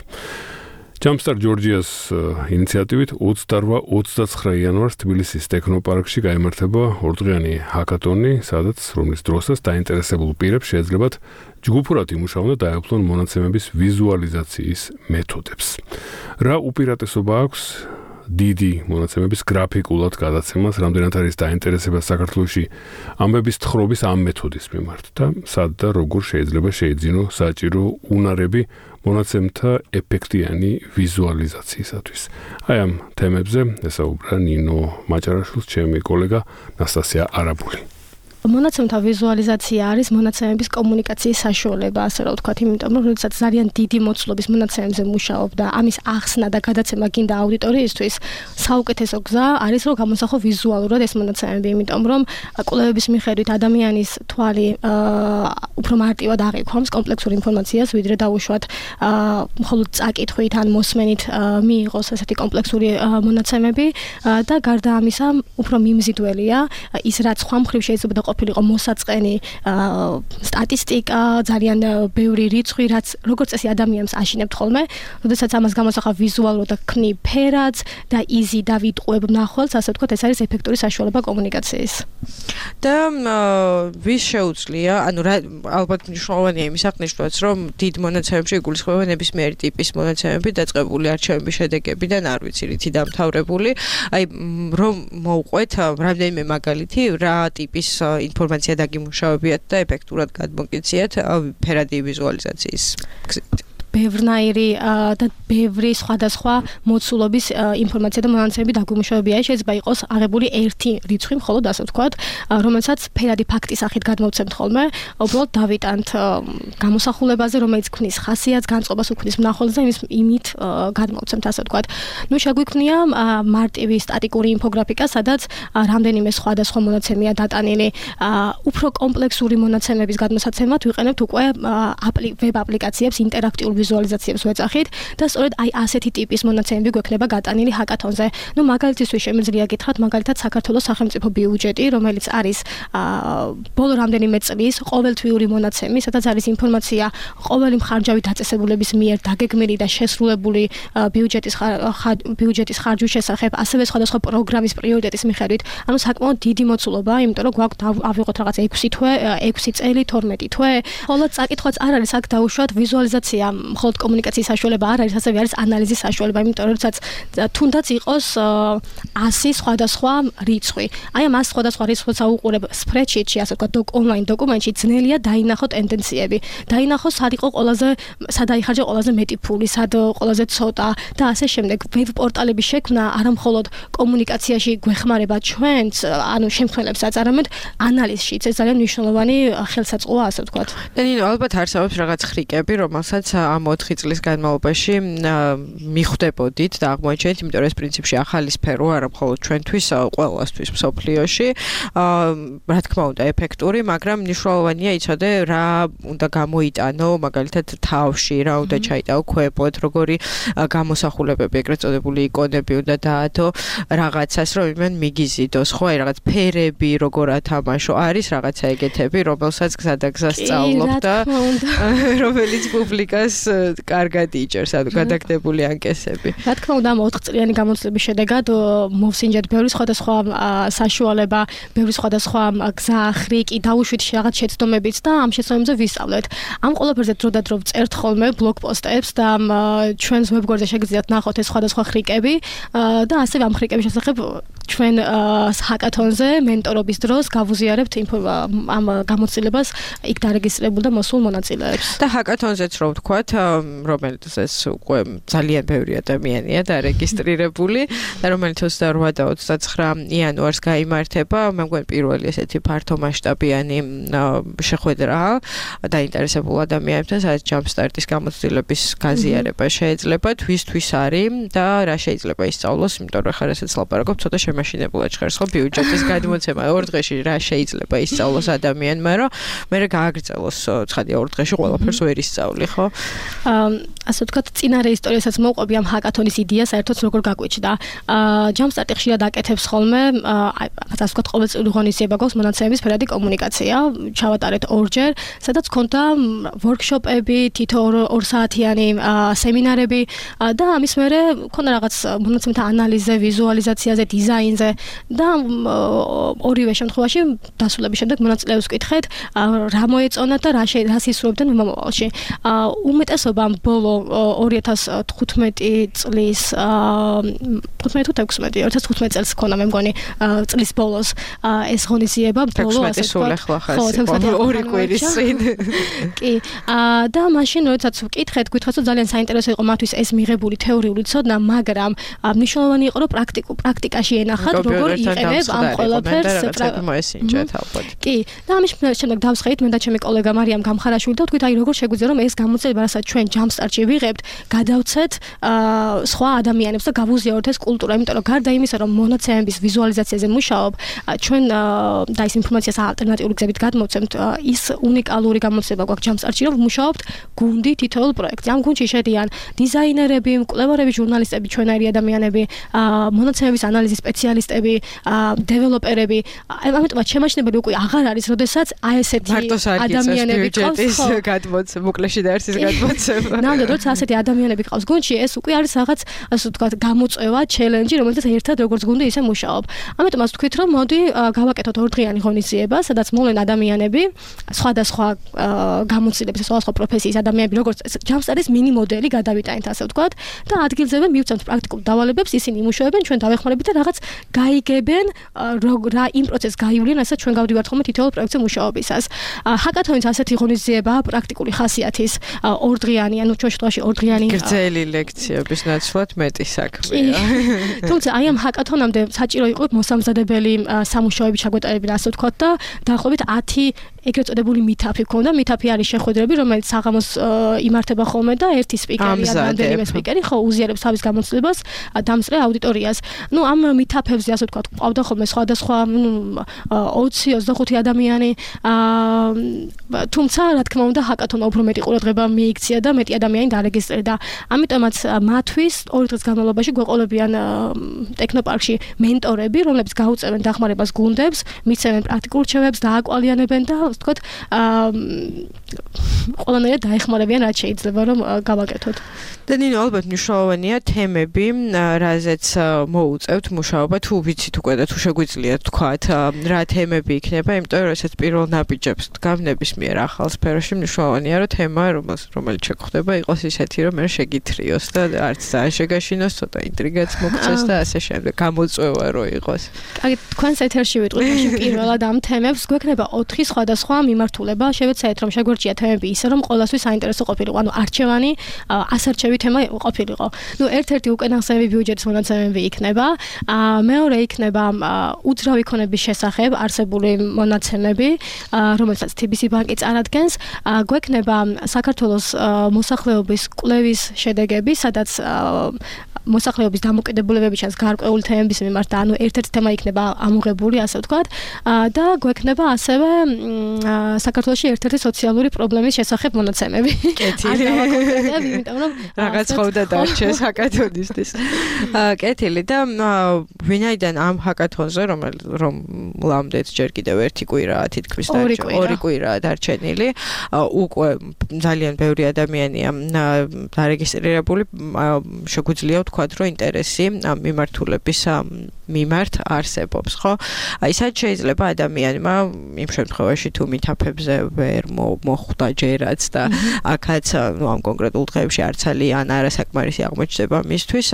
Jumpstart Georgia's ინიციატივით 28-29 იანვარს თბილისის ტექნოპარკში გაიმართება ორდღიანი ჰაკათონი, სადაც რომლის დროსაც დაინტერესებულ პირებს შეეძლებათ ჯგუფურად იმუშაონ და დაეუფლონ მონაცემების ვიზუალიზაციის მეთოდებს. რა უპირატესობა აქვს დიდი მონაცემების გრაფიკულად გადაცემას, რამდენად არის დაინტერესება საქართველოში ამბების თხრობის ამ მეთოდის მიმართ და სად და როგორ შეიძლება შეიძინო საჭირო უნარები მონაცემთა ეფექტიანი ვიზუალიზაციისათვის. აი ამ თემებზე ესაუბრა ნინო მაჭარაშვილს ჩემი კოლეგა ნასტასია არაბული. მონაცემთა ვიზუალიზაცია არის მონაცემების კომუნიკაციის საშუალება, ასე რომ ვთქვათ, იმიტომ რომ როდესაც ძალიან დიდი მოცულობის მონაცემებზე მუშაობ და ამის ახსნა და გადაცემა გინდა აუდიტორიისთვის, საუკეთესო გზა არის რომ გამოსახო ვიზუალურად ეს მონაცემები, იმიტომ რომ კვლევების მიხედვით ადამიანის თვალი უფრო მარტივად აღიქვამს კომპლექსურ ინფორმაციას, ვიდრე დაუშვათ მხოლოდ წაკითხვით ან მოსმენით მიიღოს ასეთი კომპლექსური მონაცემები და გარდა ამისა, უფრო მიმზიდველია ის რაც სხვა მხრივ შეიძლება და ყოფილიყო მოსაწყენი სტატისტიკა, ძალიან ბევრი რიცხვი, რაც როგორც წესი ადამიანს აშინებთ ხოლმე, როდესაც ამას გამოსახავ ვიზუალურად და ქნი ფერადს და იზი და ვიტყუებ მნახველს, ასე ვთქვათ, ეს არის ეფექტური საშუალება კომუნიკაციის. და ვის შეუძლია, ანუ ალბათ მნიშვნელოვანია იმის აღნიშვნაც, რომ დიდ მონაცემებში იგულისხმება ნებისმიერი ტიპის მონაცემები, დაწყებული არჩევნების შედეგებიდან, არ ვიცი, რითი დამთავრებული, აი რომ მოვყვეთ რამდენიმე მაგალითი, რა ტიპის ინფორმაცია დაგიმუშავებიათ და ეფექტურად გადმოგეციათ ფერადი ვიზუალიზაციის გზით. ბევრნაირი და ბევრი სხვადასხვა მოცულობის ინფორმაცია და მონაცემები დაგვიმუშავებია. შეიძლება იყოს აღებული ერთი რიცხვი, მხოლოდ ასე ვთქვათ, რომელსაც ფერადი ფაქტის სახით გადმოვცემთ ხოლმე, უბრალოდ დავიტანთ გამოსახულებაზე, რომელიც ქმნის ხასიათს, განწყობას უქმნის მნახველს და იმით გადმოვცემთ, ასე ვთქვათ. ნუ შეგვიქმნია მარტივი სტატიკური ინფოგრაფიკა, სადაც რამდენიმე სხვადასხვა მონაცემია დატანილი. უფრო კომპლექსური მონაცემების გადმოსაცემად ვიყენებთ უკვე ვებ აპლიკაციებს, ინტერაქტიულ ვიზუალიზაციებს ვეძახით და სწორედ აი ასეთი ტიპის მონაცემები გვექნება გატანილი ჰაკათონზე. ნუ მაგალითისთვის შემიძლია გითხრათ მაგალითად საქართველოს სახელმწიფო ბიუჯეტი, რომელიც არის ბოლო რამდენიმე წლის ყოველთვიური მონაცემი, სადაც არის ინფორმაცია ყოველი მხარჯავი დაწესებულების მიერ დაგეგმილი და შესრულებული ბიუჯეტის ხარჯვის შესახებ, ასევე სხვადასხვა პროგრამის პრიორიტეტის მიხედვით. ანუ საკმაოდ დიდი მოცულობა, იმიტომ რომ გვაქვს ავიღოთ რაღაც 6 წელი, 12 თვე. ხოლო წაკითხვაც არ არის აქ დაუშვათ ვიზუალიზაცია, მხოლოდ კომუნიკაციის საშუალება არ არის, ასევე არის ანალიზის საშუალება, იმიტომ რომ თუნდაც იყოს 100 სხვადასხვა რიცხვი. აი ამ 100 სხვადასხვა რიცხვს აუყურებ spreadsheet-ში, ასე ვთქვათ, online დოკუმენტში ძნელია დაინახო ტენდენციები. დაინახო სად იყო სად აიხარჯა ყველაზე მეტი ფული, სად ყველაზე ცოტა და ასე შემდეგ. ვებ პორტალების შექმნა არამხოლოდ კომუნიკაციაში გვეხმარება ჩვენს, ანუ შემქმნელებსაც, არამედ ანალიზშიც. ეს ძალიან მნიშვნელოვანი ხელსაწყოა, ასე ვთქვათ. ნინო, ალბათ არსებობს რაღაც ხრიკები, რომელსაც ამ 4 წლის განმავლობაში მიხვდებოდით და აღმოაჩენთ, იმიტომ რომ ეს პრინციპში ახალი სფერო არა მხოლოდ ჩვენთვის, ყველასთვის მსოფლიოში. რა თქმა უნდა, ეფექტური, მაგრამ მნიშვნელოვანია იცოდე რა უნდა გამოიტანო, მაგალითად თავში, რა უნდა ჩაიტაო ქვემოთ, როგორი გამოსახულებები, ეგრეთ წოდებული იკონები უნდა დაათო რაღაცას, რომ იმენ მიგიზიდოს, ხო, აი რაღაც ფერები, როგორ ათამაშო, არის რაღაცა ეგეთები, რომელსაც გზადაგზა სწავლობ და რომელიც პუბლიკას კარგად იჭერს, ანუ გადაგდებული ანკესები. რა თქმა უნდა, 4 წლიანი გამოცდილების შედეგად მოვსინჯეთ ბევრი სხვადასხვა საშუალება, ბევრი სხვადასხვა გზა, ხრიკი, დაუშვით რაღაც შეცდომებიც და ამ შეცდომებზე ვისწავლეთ. ამ ყველაფერზე დრო და დრო წერთ ხოლმე ბლოგ პოსტებს და ჩვენს ვებგვერდზე შეგიძლიათ ნახოთ ეს სხვადასხვა ხრიკები და ასევე ამ ხრიკების შესახებ ჩვენ ჰაკათონზე მენტორობის დროს გავუზიარებთ ამ გამოცდილებას იქ დარეგისტრებულ და მოსულ მონაწილეებს. და ჰაკათონზეც რო ვთქვათ, რომელიც ეს უკვე ძალიან ბევრი ადამიანია დარეგისტრირებული და რომელიც 28 და 29 იანვარს გაიმართება, მე მგონი პირველი ესეთი ფართომასშტაბიანი შეხვედრა დაინტერესებულ ადამიანებთან, სადაც ჯამსტარტის გამოცდილების გაზიარება შეიძლება, თვისთვის არის და რა შეიძლება ისწავლოს, იმიტომ რომ ხარ ესეც ლაპარაკობ, ცოტა შემაშინებულად ჟღერს ხო ბიუჯეტის გადმოცემა 2 დღეში რა შეიძლება ისწავლოს ადამიანმა, რომ მე გააგრძელოს ცხადია 2 დღეში ყველაფერს ვერ ისწავლი, ხო? ასე ვთქვათ, წინარე ისტორიასაც მოვყვები ამ ჰაკათონის იდეას, საერთოდ როგორ გაგვიჩნდა. ჯამსტარტი ხშირად აკეთებს ხოლმე, ასე ვთქვათ, ყოველწლიური ღონისძიება გვაქვს მონაცემების ფერადი კომუნიკაცია, ჩავატარეთ ორჯერ, სადაც ქონდა ვორქშოპები, თითო 2 საათიანი სემინარები და ამის მერე ქონდა რაღაც მონაცემთა ანალიზზე, ვიზუალიზაციაზე, დიზაინზე და ორივე შემთხვევაში დასრულების შემდეგ მონაწილეებს ვკითხეთ, რა მოეწონათ და რა ისურვებდნენ მომავალში. უმეტესობამ ბოლო 2015 წლის 2015 წელს ქონდა მე მგონი წლის ბოლოს ეს ღონისძიება ბოლო ასე ვთქვათ. ორი კვირის წინ. კი. და მაშინ როდესაც ვკითხეთ, გითხრათ რომ ძალიან საინტერესო იყო მათთვის ეს მიღებული თეორიული ცოდნა, მაგრამ მნიშვნელოვანი იყო რომ პრაქტიკაში ენახათ როგორ იყენებ ამ ყველაფერს მოესინჯეთ ალბათ. კი. და ამის შემდეგ დავსხეით მე და ჩემი კოლეგა მარიამ გამხარაშვილი და ვთქვით აი როგორ შეგვიძლია რომ ეს გამოცდილება რასაც ჩვენ ჯამსტარტში ვიღებთ, გადავცეთ სხვა ადამიანებს და გავუზიაროთ ეს კულტურა, იმიტომ რომ გარდა იმისა რომ მონაცემების ვიზუალიზაციაზე მუშაობ, ჩვენ და ის ინფორმაციას ალტერნატიული გზებით გადმოვცემთ, ის უნიკალური გამოცდილება გვაქვს ჯამსტარტში, რომ ვმუშაობთ გუნდი თითოეულ პროექტზე. ამ გუნდში შედიან დიზაინერები, მკვლევარები, ჟურნალისტები, ჩვენაირი ადამიანები, მონაცემების ანალიზის სპეციალისტები, დეველოპერები. ამიტომაც შემაჩნებელი უკვე აღარ არის, როდესაც აი ესეთი ადამიანები ყავს გადმოცემა, მოკლეში და ერთის გადმოცემა. ნამდვილად, როცა ასეთი ადამიანები ყავს გუნდში, ეს უკვე არის რაღაც, ასე ვთქვათ, გამოწვევა, ჩელენჯი, რომელსაც ერთად როგორც გუნდი ისე მუშაობ. ამიტომაც ვთქვით, რომ მოდი გავაკეთოთ 2 დღიანი ღონისძიება, სადაც მოვლენ ადამიანები, სხვადასხვა გამოცდილების, სხვადასხვა პროფესიის ადამიანები, როგორც ჯამსტარტის მინი მოდელი გადავიტანეთ, ასე ვთქვათ, და ადგილზე მივცემთ პრაქტიკულ დავალებებს, ისინი იმუშავებენ, ჩვენ დავეხმარებით და რაღაც გაიგებენ, რა იმ პროცესს გაივლიან, რასაც ჩვენ გავდივართ ხოლმე თითოეულ პროექტზე მუშაობისას. ჰაკათონის ასეთი ღონისძიება პრაქტიკული ხასიათის 2 დღიანი, ანუ ჩვენ შემთხვევაში 2 დღიანი გრძელი ლექციების ნაცვლად მეტი საქმეა. თუმცა აი ამ ჰაკათონამდე საჭირო იყო მოსამზადებელი სამუშაოები ჩაგვეტარებინა, ასე ვთქვათ და დაახლოებით ეგრეთ წოდებული მითაფი ქონდა. მითაფი არის შეხვედრები, რომელიც საღამოს იმართება ხოლმე და ერთი სპიკერი ან რამდენიმე სპიკერი ხო უზიარებს თავის გამოცდილებას დამსწრე აუდიტორიას. ნუ ამ მითაფებზე ასე ვთქვათ, ყავდა ხოლმე სხვადასხვა 20-25 ადამიანი. თუმცა რა თქმა უნდა ჰაკათონმა უფრო მეტი ყურადღება მიიქცია და მეტი ადამიანი დარეგისტრირდა. ამიტომაც მათთვის 2 დღის განმავლობაში გვეყოლებიან ტექნოპარკში მენტორები, რომლებიც გაუწევენ დახმარებას გუნდებს, მისცემენ პრაქტიკულ რჩევებს, დააკვალიანებენ და ასე ვთქვათ, ყველანაირად დაეხმარებიან რაც შეიძლება რომ გავაკეთოთ. და ნინო ალბათ მნიშვნელოვანია თემები, რაზეც მოუწევთ მუშაობა, თუ ვიცით უკვე და თუ შეგვიძლია თქვათ, რა თემები იქნება, იმიტომ რომ ესეც პირველ ნაბიჯებს დგავ ნებისმიერ ახალ სფეროში მნიშვნელოვანია, რომ თემა რომელიც შეგხვდება იყოს ისეთი, რომ მე შეგითრიოს და არც ძალიან შეგაშინოს, ცოტა ინტრიგაც მოგცეს და ასე შემდეგ, გამოწვევა რო იყოს. კარგი, თქვენს ეთერში ვიტყვით პირველად ამ თემებს, გვექნება 4 სხვადასხვა მიმართულება, შევეცდეთ რომ შეგვერჩია თემები ისე, რომ ყველასთვის საინტერესო ყოფილიყო, ანუ არჩევანი, ასარჩევი თემა ყოფილიყო. ნუ ერთ-ერთი უკანასკნელი ბიუჯეტის მონაცემები იქნება, მეორე იქნება უძრავი ქონების შესახებ არსებული მონაცემები, რომელსაც TBC ბანკი წარადგენს, გვექნება საქართველოს მოსახლეობის კვლევის შედეგები, სადაც მოსახლეობის დამოკიდებულებები ჩანს გარკვეული თემების მიმართ და ანუ ერთ-ერთი თემა იქნება ამოღებული, ასე ვთქვათ, და გვექნება ასევე საქართველოში ერთ-ერთი სოციალური პრობლემის შესახებ მონაცემები. კეთილი. იმიტომ რომ რაღაც ხოვდა დარჩეს ჰაკათონისთვის. კეთილი და ვინაიდან ამ ჰაკათონზე რომ ლამდეთ ჯერ კიდევ ერთი კვირაა თითქმის ორი კვირაა დარჩენილი, უკვე ძალიან ბევრი ადამიანია დარეგისტრირებული, შეგვიძლია ვთქვათ, რომ ინტერესი ამ მიმართულების მიმართ არსებობს, ხო? აი, სად შეიძლება ადამიანმა იმ შემთხვევაში თუ მითაფებზე ვერ მოხვდა ჯერაც და აქაც ამ კონკრეტულ დღეებში არ ძალიან არასაკმარისი აღმოჩნდება მისთვის,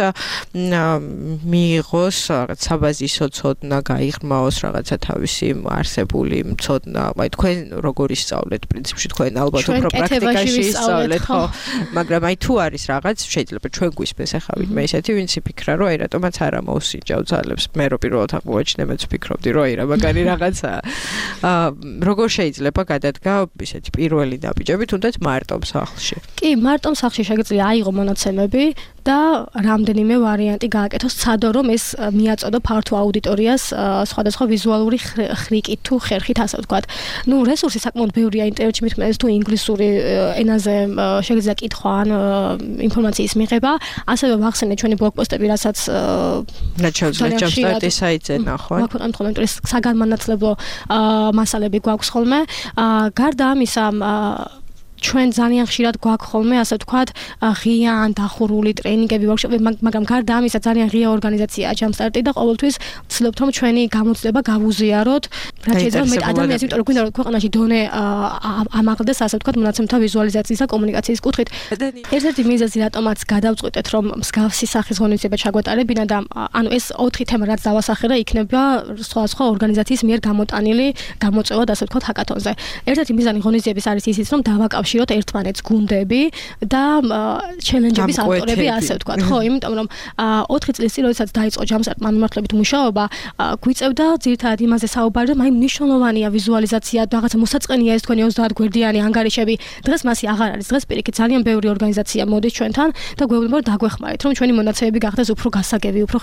მიიღოს რაღაც საბაზისო ცოდნა, გაიღრმაოს რაღაცა თავისი არსებული ცოდნა, აი თქვენ როგორ ისწავლეთ პრინციპში, თქვენ ალბათ უფრო პრაქტიკაში ისწავლეთ, ხო? მაგრამ აი თუ არის რაღაც, შეიძლება ჩვენ გვისმეს ახლა ვინმე ისეთი, ვინც იფიქრა, რომ აი რატომაც არა მოусინჯავ ძალებს. მე რო პირველად აღმოაჩინე, მეც ვფიქრობდი, რომ აი რა მაგარი რაღაცაა. როგორ შეიძლება გადადგა ისეთი პირველი ნაბიჯები, თუნდაც მარტომ სახლში? კი, მარტომ სახლში შეგიძლია აიღო მონაცემები და რამდენიმე ვარიანტი გააკეთოს, ცადო რომ ეს მიაწოდო ფართო აუდიტორიას სხვადასხვა ვიზუალური ხრიკით თუ ხერხით, ასე ვთქვათ. ნუ რესურსი საკმაოდ ბევრია ინტერნეტში, მithmenes თუ ინგლისური ენაზე შეგიძლია კითხვა ან ინფორმაციის მიღება, ასევე ვახსენე ჩვენი ბლოგპოსტები, რასაც ჯამსტარტის საიტზე ნახოთ. ვაქვეყნებთ ხოლმე, იმიტომ საგანმანათლებლო მასალები გვაქვს ხოლმე. გარდა ამისა, ჩვენ ძალიან ხშირად გვაქვს ხოლმე, ასე ვთქვათ, ღია ან დახურული ტრეინინგები, ვორქშოპები, მაგრამ გარდა ამისა ძალიან ღია ორგანიზაციაა ჯამსტარტი და ყოველთვის ვცდილობთ რომ ჩვენი გამოცდილება გავუზიაროთ, რაც შეიძლება მეტ ადამიანს, იმიტომ რომ გვინდა რომ ქვეყანაში დონე ამაღლდეს, ასე ვთქვათ, მონაცემთა ვიზუალიზაციის და კომუნიკაციის კუთხით. ერთ-ერთი მიზეზი, რატომაც გადავწყვიტეთ, რომ მსგავსი სახის ღონისძიება ჩაგვეტარებინა და ანუ ეს 4 თემა, რაც დავასახელე, იქნება სხვა ორგანიზაციის მიერ გამოტანილი გამოწვევად, ასე ვთქვათ, ჰაკათონზე. ერთ-ერთი მიზანი ღონისძიების არის ისიც, რომ დავაკავშიროთ ერთმანეთს გუნდები და ჩელენჯების ავტორები, ასე ვთქვათ, ხო, იმიტომ რომ 4 წლის წინ, როდესაც დაიწყო ჯამსტარტმა მიმართულებით მუშაობა, გვიწევდა ძირითადად იმაზე საუბარი, რომ აი მნიშვნელოვანია ვიზუალიზაცია, რაღაცა მოსაწყენია ეს თქვენი 30 გვერდიანი ანგარიშები. დღეს მასი აღარ არის. დღეს პირიქით ძალიან ბევრი ორგანიზაცია მოდის ჩვენთან და გვეუბნება რომ დაგვეხმარეთ, რომ ჩვენი მონაცემები გახდეს უფრო გასაგები, უფრო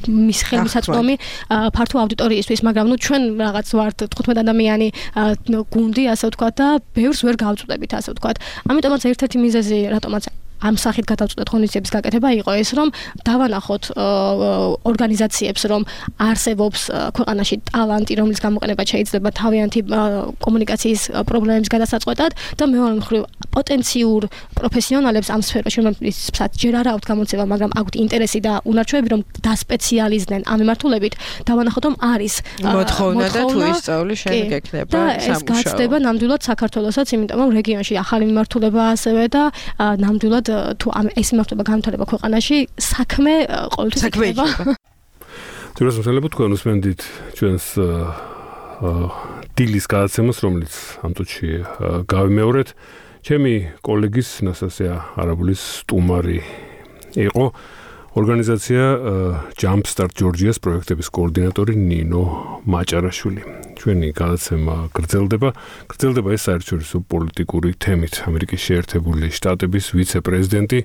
მის ხელმისაწვდომი ფართო აუდიტორიისთვის, მაგრამ ნუ ჩვენ რაღაც ვართ 15 ადამიანი გუნდი, ასე ვთქვათ და ბევრს ვერ გავწვდებით, ასე ვთქვათ. ამიტომაც ერთ-ერთი მიზეზი, რატომაც ამ სახით გადავწყვეტ ღონისძიების გაკეთება იყო ეს, რომ დავანახოთ ორგანიზაციებს, რომ არსებობს ქვეყანაში ტალანტი, რომლის გამოყენება შეიძლება თავიანთი კომუნიკაციის პრობლემების გადასაწყვეტად და მეორე მხრივ პოტენციურ პროფესიონალებს ამ სფეროში, რომელსაც ჯერ არ აქვთ გამოცემა, მაგრამ აქვთ ინტერესი და უნარჩვევები, რომ დასპეციალიზდნენ ამ მიმართულებით, დავანახოთ, რომ არის მოთხოვნა და თუ ისწავლი შენ გექნება სამუშაო. და ეს გაცდება ნამდვილად საქართველოსაც, იმიტომ რომ რეგიონში ახალი მიმართულებაა ასევე და ნამდვილად თუ ეს მიმართულება განვითარება ქვეყანაში, საქმე ყოველთვის იქნება. თუმცა შეიძლება თქვენ უსმენდით ჩვენს დილის გადაცემას, რომელიც ამ წუთში გავიმეორეთ. ჩემი კოლეგის ნასტასია არაბულის სტუმარი იყო ორგანიზაცია Jumpstart Georgia-ს პროექტების კოორდინატორი ნინო მაჭარაშვილი. ჩვენი გადაცემა გრძელდება ეს საერთაშორისო პოლიტიკური თემით. ამერიკის შეერთებული შტატების ვიცე-პრეზიდენტი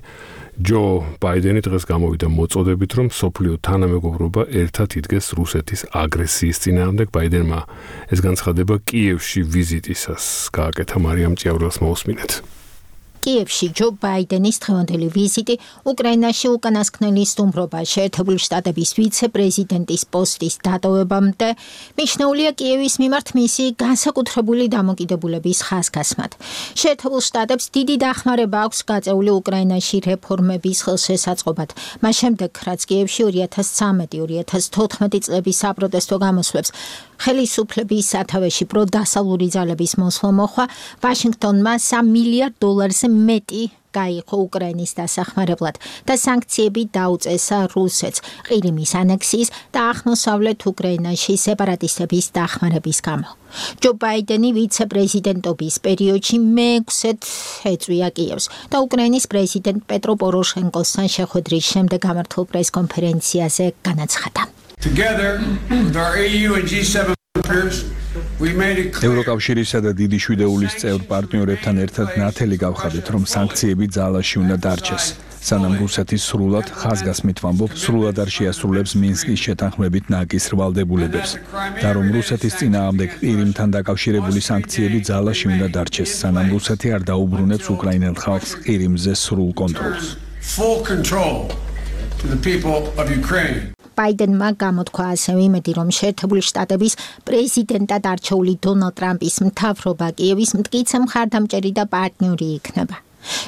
ჯო ბაიდენი დღეს გამოვიდა მოწოდებით, რომ სოფლიო თანამეგობრობა ერთად იდგეს რუსეთის აგრესიის წინააღმდეგ. ბაიდენმა ეს განცხადება კიევში ვიზიტისას გააკეთა. მარიამ ჭიაურელს მოусმინეთ. კიევში ჯო ბაიდენის დღევანდელი ვიზიტი უკრაინაში უკანასკნელი სტუმრობა შეერთებული შტატების ვიცე-პრეზიდენტის პოსტის დატოვებამდე მიჩნეულია კიევის მიმართ მისი განსაკუთრებული დამოკიდებულების ხაზგასმად. შეერთებულ შტატებს დიდი დახმარება აქვს გაწეული უკრაინაში რეფორმების ხელშესაწყობად. მას შემდეგ, რაც კიევში 2013-2014 წლების საპროტესტო გამოსვლებს ხელისუფლების სათავეში პროდასალური ძალების მოსვლა მოხდა, ვაშინგტონმა $3 მილიარდ მეტი გაიღო უკრაინის დასახმარებლად და სანქციები დაუწესა რუსეთს ყირიმის ანექსიის და აღმოსავლეთ უკრაინაში სეპარატისტების დახმარების გამო. ჯო ბაიდენი ვიცე-პრეზიდენტობის პერიოდში მე-6-ად ეწვია კიევს და უკრაინის პრეზიდენტ პეტრო პოროშენკოსთან შეხვედრის შემდეგ გამართულ პრესკონფერენციაზე განაცხადა. Together with our EU and G7 partners, we made it clear. ევროკავშირისა და დიდი შვიდეულის წევრ პარტნიორებთან ერთად ნათელი გავხადეთ, რომ სანქციები ძალაში უნდა დარჩეს. სანამ რუსეთი სრულად ხაზგასმით ვამბობ, სრულად არ შეასრულებს მინსკის შეთანხმებით ნაკის ვალდებულებებს და რომ რუსეთის წინააღმდეგ ყირიმთან დაკავშირებული სანქციები ძალაში უნდა დარჩეს, სანამ რუსეთი არ დაუბრუნებს უკრაინელ ხალხს ყირიმზე სრულ კონტროლს. Full control to the people of Ukraine. ბაიდენმა გამოთქვა ასევე იმედი, რომ შეერთებული შტატების პრეზიდენტად არჩეული დონალდ ტრამპის მთავრობა კიევის მტკიცე მხარდამჭერი და პარტნიორი იქნება.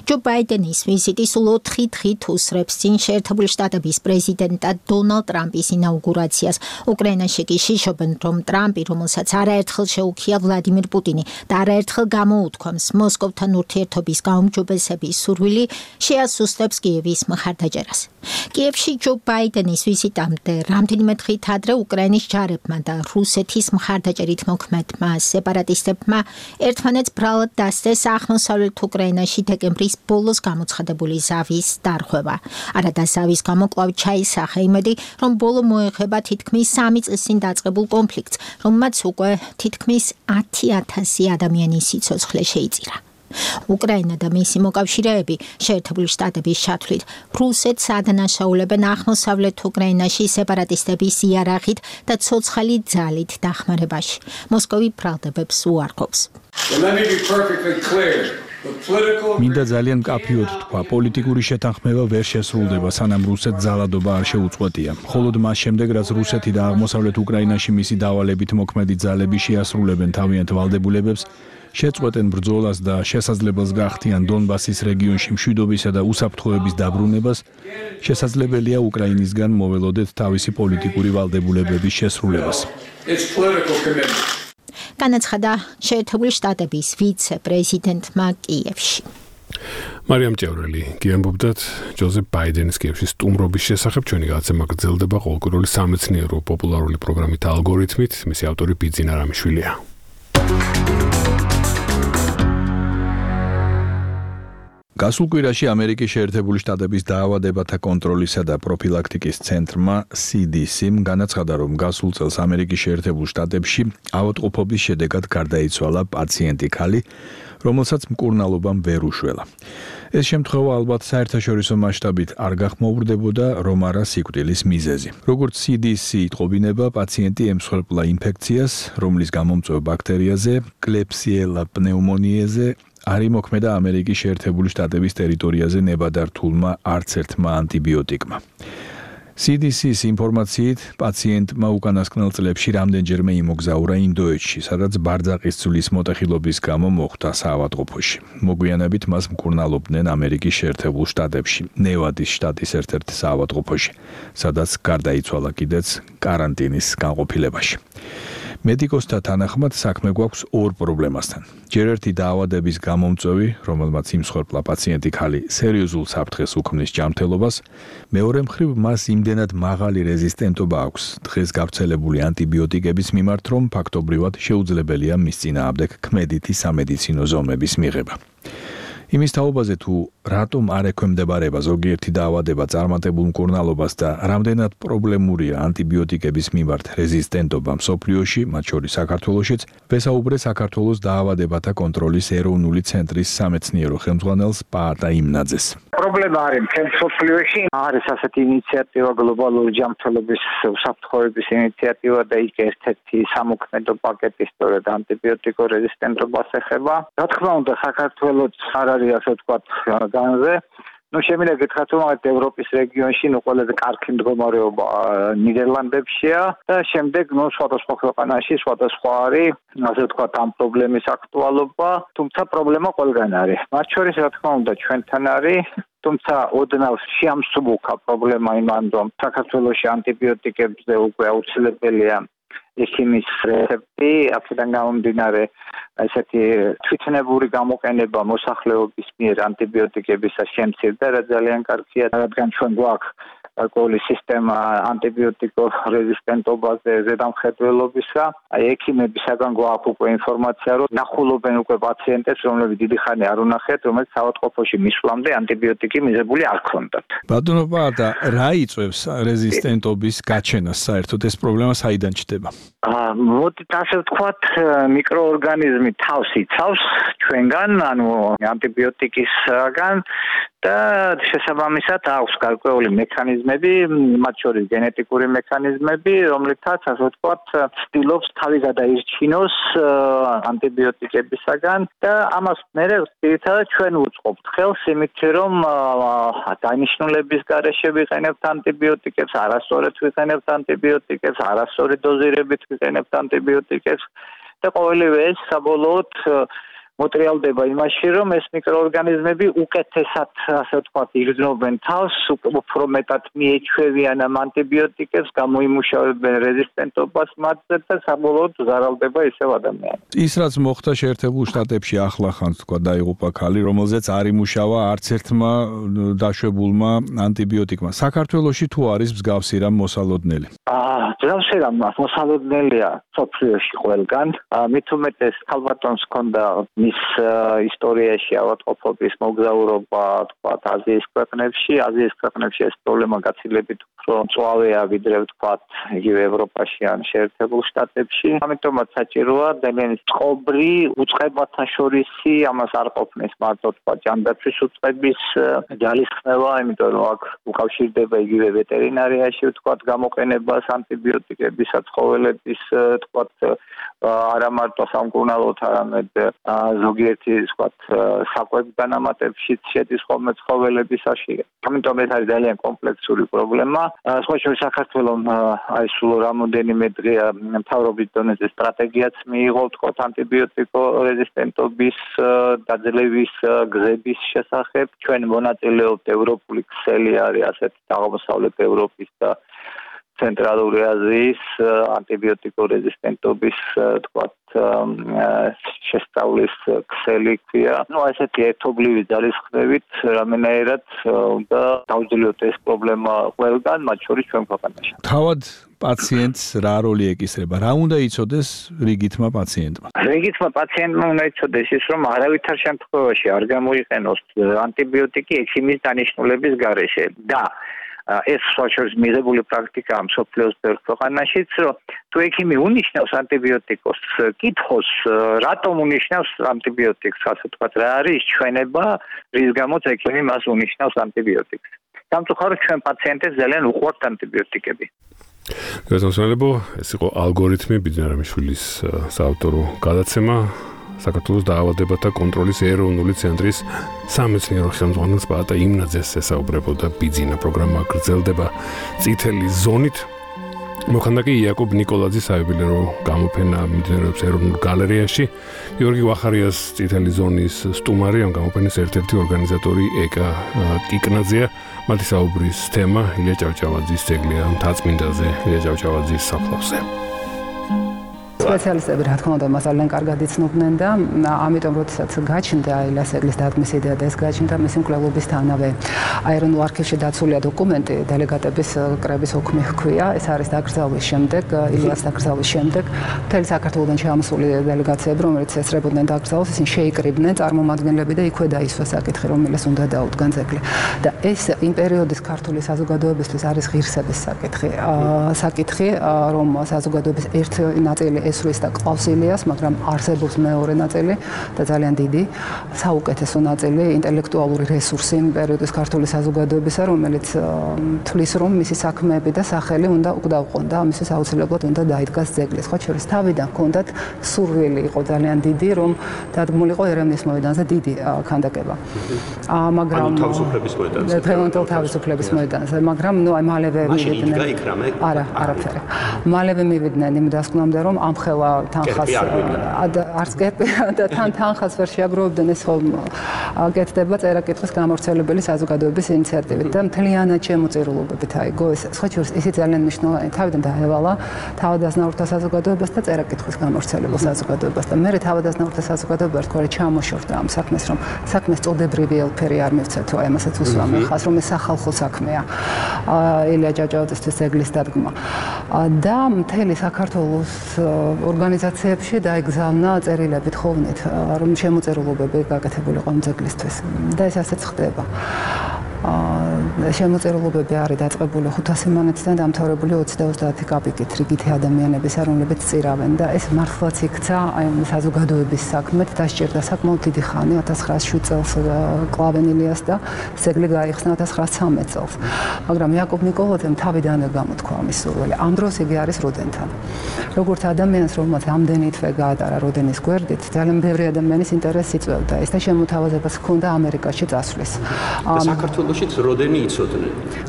ჯო ბაიდენის ვიზიტი სულ 4 დღით უსრებს წინ შეერთებული შტატების პრეზიდენტად დონალდ ტრამპის ინაუგურაციას. უკრაინაში კი შიშობენ, რომ ტრამპი, რომელსაც არაერთხელ შეუქია ვლადიმირ პუტინი და არაერთხელ გამოუთქვამს მოსკოვთან ურთიერთობის გაუმჯობესების სურვილი, შეასუსტებს კიევის მხარდაჭერას. კიევში ჯო ბაიდენის ვიზიტამდე რამდენიმე დღით ადრე უკრაინის ჯარებმა და რუსეთის მხარდაჭერით მოქმედმა სეპარატისტებმა ერთმანეთს ბრალად დასწეს აღმოსავლეთ უკრაინაში დეკემბრის ბოლოს გამოცხადებული ზავის დარღვევა. არადა ზავის გამო კვლავ ჩაისახა იმედი, რომ ბოლო მოეხება თითქმის 3 წლის წინ დაწყებულ კონფლიქტს, რომელმაც უკვე თითქმის 10,000 ადამიანის სიცოცხლე შეიწირა. უკრაინა და მისი მოკავშირეები შეერთებული შტატების ჩათვლით რუსეთს ადანაშაულებენ აღმოსავლეთ უკრაინაში სეპარატისტების იარაღით და ცოცხალი ძალით დახმარებაში. მოსკოვი ბრალდებებს უარყოფს. Let me be perfectly clear. მინდა ძალიან მკაფიოდ თქვა, პოლიტიკური შეთანხმება ვერ შესრულდება, სანამ რუსეთს ძალადობა არ შეუწყვეტია. მხოლოდ მას შემდეგ, რაც რუსეთი და აღმოსავლეთ უკრაინაში მისი დავალებით მოქმედი ძალები შეასრულებენ თავიანთ ვალდებულებებს, შეწყვეტენ ბრძოლას და შესაძლებელს გახდიან დონბასის რეგიონში მშვიდობისა და უსაფრთხოების დაბრუნებას, შესაძლებელია უკრაინისგან მოველოდეთ თავისი პოლიტიკური ვალდებულებების შესრულებას. განაცხადა შეერთებული შტატების ვიცე-პრეზიდენტმა კიევში. მარიამ ჭიაურელი გიამბობდათ ჯოზეფ ბაიდენის კიევში სტუმრობის შესახებ. ჩვენი გადაცემა გრძელდება ყოველკვირეული სამეცნიერო პოპულარული პროგრამით ალგორითმით. მისი ავტორი ბიძინა რამიშვილია. გასულ კვირაში ამერიკის შეერთებული შტატების დაავადებათა კონტროლისა და პროფილაქტიკის ცენტრმა CDC-მ განაცხადა, რომ გასულ წელს ამერიკის შეერთებულ შტატებში ავადმყოფობის შედეგად გარდაიცვალა პაციენტი ქალი, რომელსაც მკურნალობამ ვერ უშველა. ეს შემთხვევა ალბათ საერთაშორისო მასშტაბით არ გახმოურდებოდა, რომ არა სიკვდილის მიზეზი. როგორც CDC იტყობინება, პაციენტი ემსხვერპლა ინფექციას, რომლის გამომწვევ ბაქტერიაზე, კლეფსიელა პნეუმონიაზე არ იმოქმედა ამერიკის შეერთებული შტატების ტერიტორიაზე ნებადართულმა არც ერთმა ანტიბიოტიკმა. CDC-ის ინფორმაციით, პაციენტმა უკანასკნელ წლებში რამდენჯერმე იმოგზაურა ინდოეთში, სადაც ბარძაყის ცვლის მოტეხილობის გამო მოხვდა საავადმყოფოში. მოგვიანებით მას მკურნალობდნენ ამერიკის შეერთებულ შტატებში, ნევადის შტატის ერთ-ერთ საავადმყოფოში, სადაც გარდაიცვალა კიდეც კარანტინის განყოფილებაში. მედიკოსთა თანახმად საქმე გვაქვს ორ პრობლემასთან. ჯერ ერთი დაავადების გამომწვევი, რომელმაც იმსხვერპლა პაციენტი ქალი სერიოზულ საფრთხეს უქმნის ჯანმრთელობას, მეორე მხრივ მას იმდენად მაღალი რეზისტენტობა აქვს დღეს გავრცელებული ანტიბიოტიკების მიმართ, რომ ფაქტობრივად შეუძლებელია მის წინააღმდეგ ქმედითი სამედიცინო ზომების მიღება. იმის თაობაზე თუ რატომ არ ექვემდებარება ზოგიერთი დაავადება წარმატებულ მკურნალობას და რამდენად პრობლემურია ანტიბიოტიკების მიმართ რეზისტენტობა მსოფლიოში, მათ შორის საქართველოშიც, ვესაუბრე საქართველოს დაავადებათა კონტროლის ეროვნული ცენტრის სამეცნიერო ხელმძღვანელს პაატა იმნაძეს. პრობლემა არის მსოფლიოში, არის ასეთი ინიციატივა გლობალური ჯანმრთელობის უსაფრთხოების ინიციატივა და იქ ერთ-ერთი სამოქმედო პაკეტი სწორედ ანტიბიოტიკო რეზისტენტობას ეხება. რა თქმა უნდა, საქართველოს არ არის ასე ვთქვათ განზე. შემიძლია გითხრათ, რომ ევროპის რეგიონში ყველაზე კარგი მდგომარეობა ნიდერლანდებშია და შემდეგ სხვადასხვა ქვეყანაში სხვადასხვა არის ასე ვთქვათ ამ პრობლემის აქტუალობა, თუმცა პრობლემა ყველგან არის. მათ შორის რა თქმა უნდა ჩვენთან არის, თუმცა ოდნავ შეამსუბუქა პრობლემა იმან, რომ საქართველოში ანტიბიოტიკებზე უკვე აუცილებელია ექიმის რეცეპტი, აქედან გამომდინარე ესეთი თვითნებური გამოყენება მოსახლეობის მიერ ანტიბიოტიკებისა შემცირდა, რაც ძალიან კარგია, რადგან ჩვენ გვაქვს გარკვეული სისტემა ანტიბიოტიკო რეზისტენტობაზე ზედამხედველობისა. ექიმებისაგან გვაქვს უკვე ინფორმაცია, რომ ნახულობენ უკვე პაციენტებს, რომლებიც დიდი ხანი არ უნახეთ, რომელიც საავადმყოფოში მისვლამდე ანტიბიოტიკი მიზებული არ ჰქონდათ. ბატონო პაატა, რა იწვევს რეზისტენტობის გაჩენას საერთოდ ეს პრობლემა საიდან ჩდება? მოდით ასე ვთქვათ, მიკროორგანიზმი თავს იცავს ჩვენგან, ანუ ანტიბიოტიკისგან და შესაბამისად აქვს გარკვეული მექანიზმები, მათ შორის გენეტიკური მექანიზმები, რომლითაც ასე ვთქვათ, ცდილობს თავი გადაირჩინოს ანტიბიოტიკებისაგან და ამას მერე ძირითადად ჩვენ ვუწყობთ ხელს იმით, რომ დანიშნულების გარეშე ვიყენებთ ანტიბიოტიკებს, არასწორად ვიყენებთ ანტიბიოტიკებს, არასწორი დოზირებით ვიყენებთ ანტიბიოტიკებს და ყოველივე ეს საბოლოოდ მოტრიალდება იმაში, რომ ეს მიკროორგანიზმები უკეთესად, ასე ვთქვათ, იგრძნობენ თავს, უფრო მეტად მიეჩვევიან ამ ანტიბიოტიკებს, გამოიმუშავებენ რეზისტენტობას მათზე და საბოლოოდ ზარალდება ისევ ადამიანი. ის რაც მოხდა შეერთებულ შტატებში ახლახანს, თქვა, დაიღუპა ქალი, რომელზეც არ იმუშავა არც ერთმა დაშვებულმა ანტიბიოტიკმა. საქართველოში თუ არის მსგავსი რამ მოსალოდნელი? მსგავსი რამ მოსალოდნელია მსოფლიოში ყველგან. მით უმეტეს ქალბატონს ჰქონდა მის ისტორიაში ავადმყოფობის მოგზაურობა, თქვათ, აზიის ქვეყნებში ეს პრობლემა გაცილებით უფრო მწვავეა ვიდრე ვთქვათ, იგივე ევროპაში ან შეერთებულ შტატებში. ამიტომაც საჭიროა ძალიან წყობრი უწყებათა შორისი, ამას არ ყოფნის მარტო თქვათ ჯანდაცვის უწყების ძალისხმევა, იმიტომ რომ აქ უკავშირდება იგივე ვეტერინარიაში ვთქვათ გამოყენებას ანტიბიოტიკებისა, ცხოველების თქვათ არა მარტო სამკურნალოდ, არამედ ზოგიერთი ვთქვათ საკვების განამატებშიც შედის ხოლმე ცხოველებისაში. ამიტომ ეს არის ძალიან კომპლექსური პრობლემა. სხვა შორის საქართველოს აი სულ რამოდენიმე დღეა მთავრობის დონეზე სტრატეგიაც მიიღო ვთქვათ ანტიბიოტიკო რეზისტენტობის დაძლევის გზების შესახებ. ჩვენ მონაწილეობთ ევროპული ქსელი არის ასეთი აღმოსავლეთ ევროპის და ცენტრალური აზიის ანტიბიოტიკო რეზისტენტობის თქვათ შესწავლის ქსელი ქვია. ესეთი ერთობლივი ძალისხმევით რამენაირად უნდა დავძლიოთ ეს პრობლემა ყველგან, მათ შორის ჩვენ ქვეყანაში. თავად პაციენტს რა როლი ეკისრება? რა უნდა იცოდეს რიგითმა პაციენტმა? რიგითმა პაციენტმა უნდა იცოდეს ის, რომ არავითარ შემთხვევაში არ გამოიყენოს ანტიბიოტიკი ექიმის დანიშნულების გარეშე და ეს სოციალიზმის მიღებული პრაქტიკაა მსოფლიოს ბევრ ქვეყანაშიც, რომ თუ ექიმი უნიშნავს ანტიბიოტიკოს, კითხოს, რატომ უნიშნავს ანტიბიოტიკს, ასე ვთქვათ, რა არის ჩვენება, რის გამოც ექიმი მას უნიშნავს ანტიბიოტიკს. სამწუხაროდ ჩვენ პაციენტებს ძალიან უყვართ ანტიბიოტიკები. გასასვლელებო, ეს იყო ალგორითმი ბიძინარამიშვილის საავტორო გადაცემა. საქართველოს დაავადებათა კონტროლის ეროვნული ცენტრის სამეცნიერო ხელმძღვანელს პაატა იმნაძეს ესაუბრებოდა ბიძინა. პროგრამა გრძელდება წითელი ზონით. მოხდა კი იაკობ ნიკოლაძის საიუბილეო გამოფენა მიმდინარეობს ეროვნულ გალერეაში. გიორგი ვახარიას წითელი ზონის სტუმარი, ამ გამოფენის ერთ-ერთი ორგანიზატორი ეკა კიკნაძეა. მათი საუბრის თემა ილია ჭავჭავაძის ძეგლია მთაწმინდაზე, ილია ჭავჭავაძის საფლავზე. სპეციალისტები რა თქმა უნდა მას ძალიან კარგად იცნობდნენ და ამიტომ როდესაც გაჩნდა ილას ეგლის დადგმის იდეა და ეს გაჩნდა მისი მკვლელობისთანავე აერონულ არქივში დაცულია დოკუმენტი დელეგატების კრების ოქმი ჰქვია ეს არის დაკრძალვის შემდეგ ილას დაკრძალვის შემდეგ მთელი საქართველოდან ჩამოსული დელეგაციები რომელიც ესწრებოდნენ დაკრძალვას ისინი შეიკრიბნენ წარმომადგენლები და იქვე დაისვა საკითხი რომელსაც უნდა დაუდგან ძეგლი და ეს იმ პერიოდის ქართული საზოგადოებისთვის არის ღირსების საკითხი რომ საზოგადოების ერთი ნაწილი ესვრის და ყავს ილიას მაგრამ არსებობს მეორე ნაწილი და ძალიან დიდი საუკეთესო ნაწილი ინტელექტუალური რესურსი იმ პერიოდის ქართული საზოგადოებისა რომელიც თვლის რომ მისი საქმეები და სახელი უნდა უკდავყონ და ამისთვის აუცილებლად უნდა დაიდგას ძეგლი სხვა შორის თავიდან ჰქონდათ სურვილი იყო ძალიან დიდი რომ დადგმულიყო ერევნის მოედანზე დიდი ქანდაკება მაგრამ დღევანდელ თავისუფლების მოედანზე მაგრამ ნუ აი მალევე მივიდნენ არაფერი მალევე მივიდნენ იმ დასკვნამდე რომ ამხელა თანხას არც კერპი და თანხას ვერ შეაგროვებდნენ ეს ხომ გეთდება წერა-კითხვის გამავრცელებელი საზოგადოების ინიციატივით და მთლიანად შემოწირულობებით აიგო ეს სხვა შორის ისიც ძალიან მნიშვნელოვანი თავიდან დაევალა თავადაზნაურთა საზოგადოებას და წერა-კითხვის გამავრცელებელ საზოგადოებას და მე თავადაზნაურთა საზოგადოება თქვა ჩამოშორდა ამ საქმეს რომ საქმეს წოდებრივი ელფერი არ მივცეთო აი ამასაც უსვამი ხას რომ ეს სახალხო საქმეა ილია ჭავჭავაძისთვის ეგლის დადგმა და მთელი საქართველოს ორგანიზაციებში დაიგზავნა წერილებით ხოვნით რომ შემოწირულობები გაკეთებულიყო ამ ძეგლისთვის და ეს ასეც ხდება შემოწირულობები არის დაწყებული 500 მონეტიდან დამთავრებული 20-30 კაპიკით რიგითი ადამიანების რომლებიც წირავენ და ეს მართლაც იქცა აი საზოგადოების საქმეთ დასჭირდა საკმაოდ დიდი ხანი 1907 წელს კლავენ ილიას და ძეგლი გაიხსნა 1913 წელს მაგრამ იაკობ ნიკოლაძემ თავიდანვე გამოთქვა ამის სურვილი ამ დროს იგი არის როდენთან როგორც ადამიანს რომელმაც ამდენი თვე გაატარა როდენის გვერდით ძალიან ბევრი ადამიანის ინტერესს იწვევდა ეს და შემოთავაზებას ჰქონდა ამერიკაში წასვლის საქართველოშიც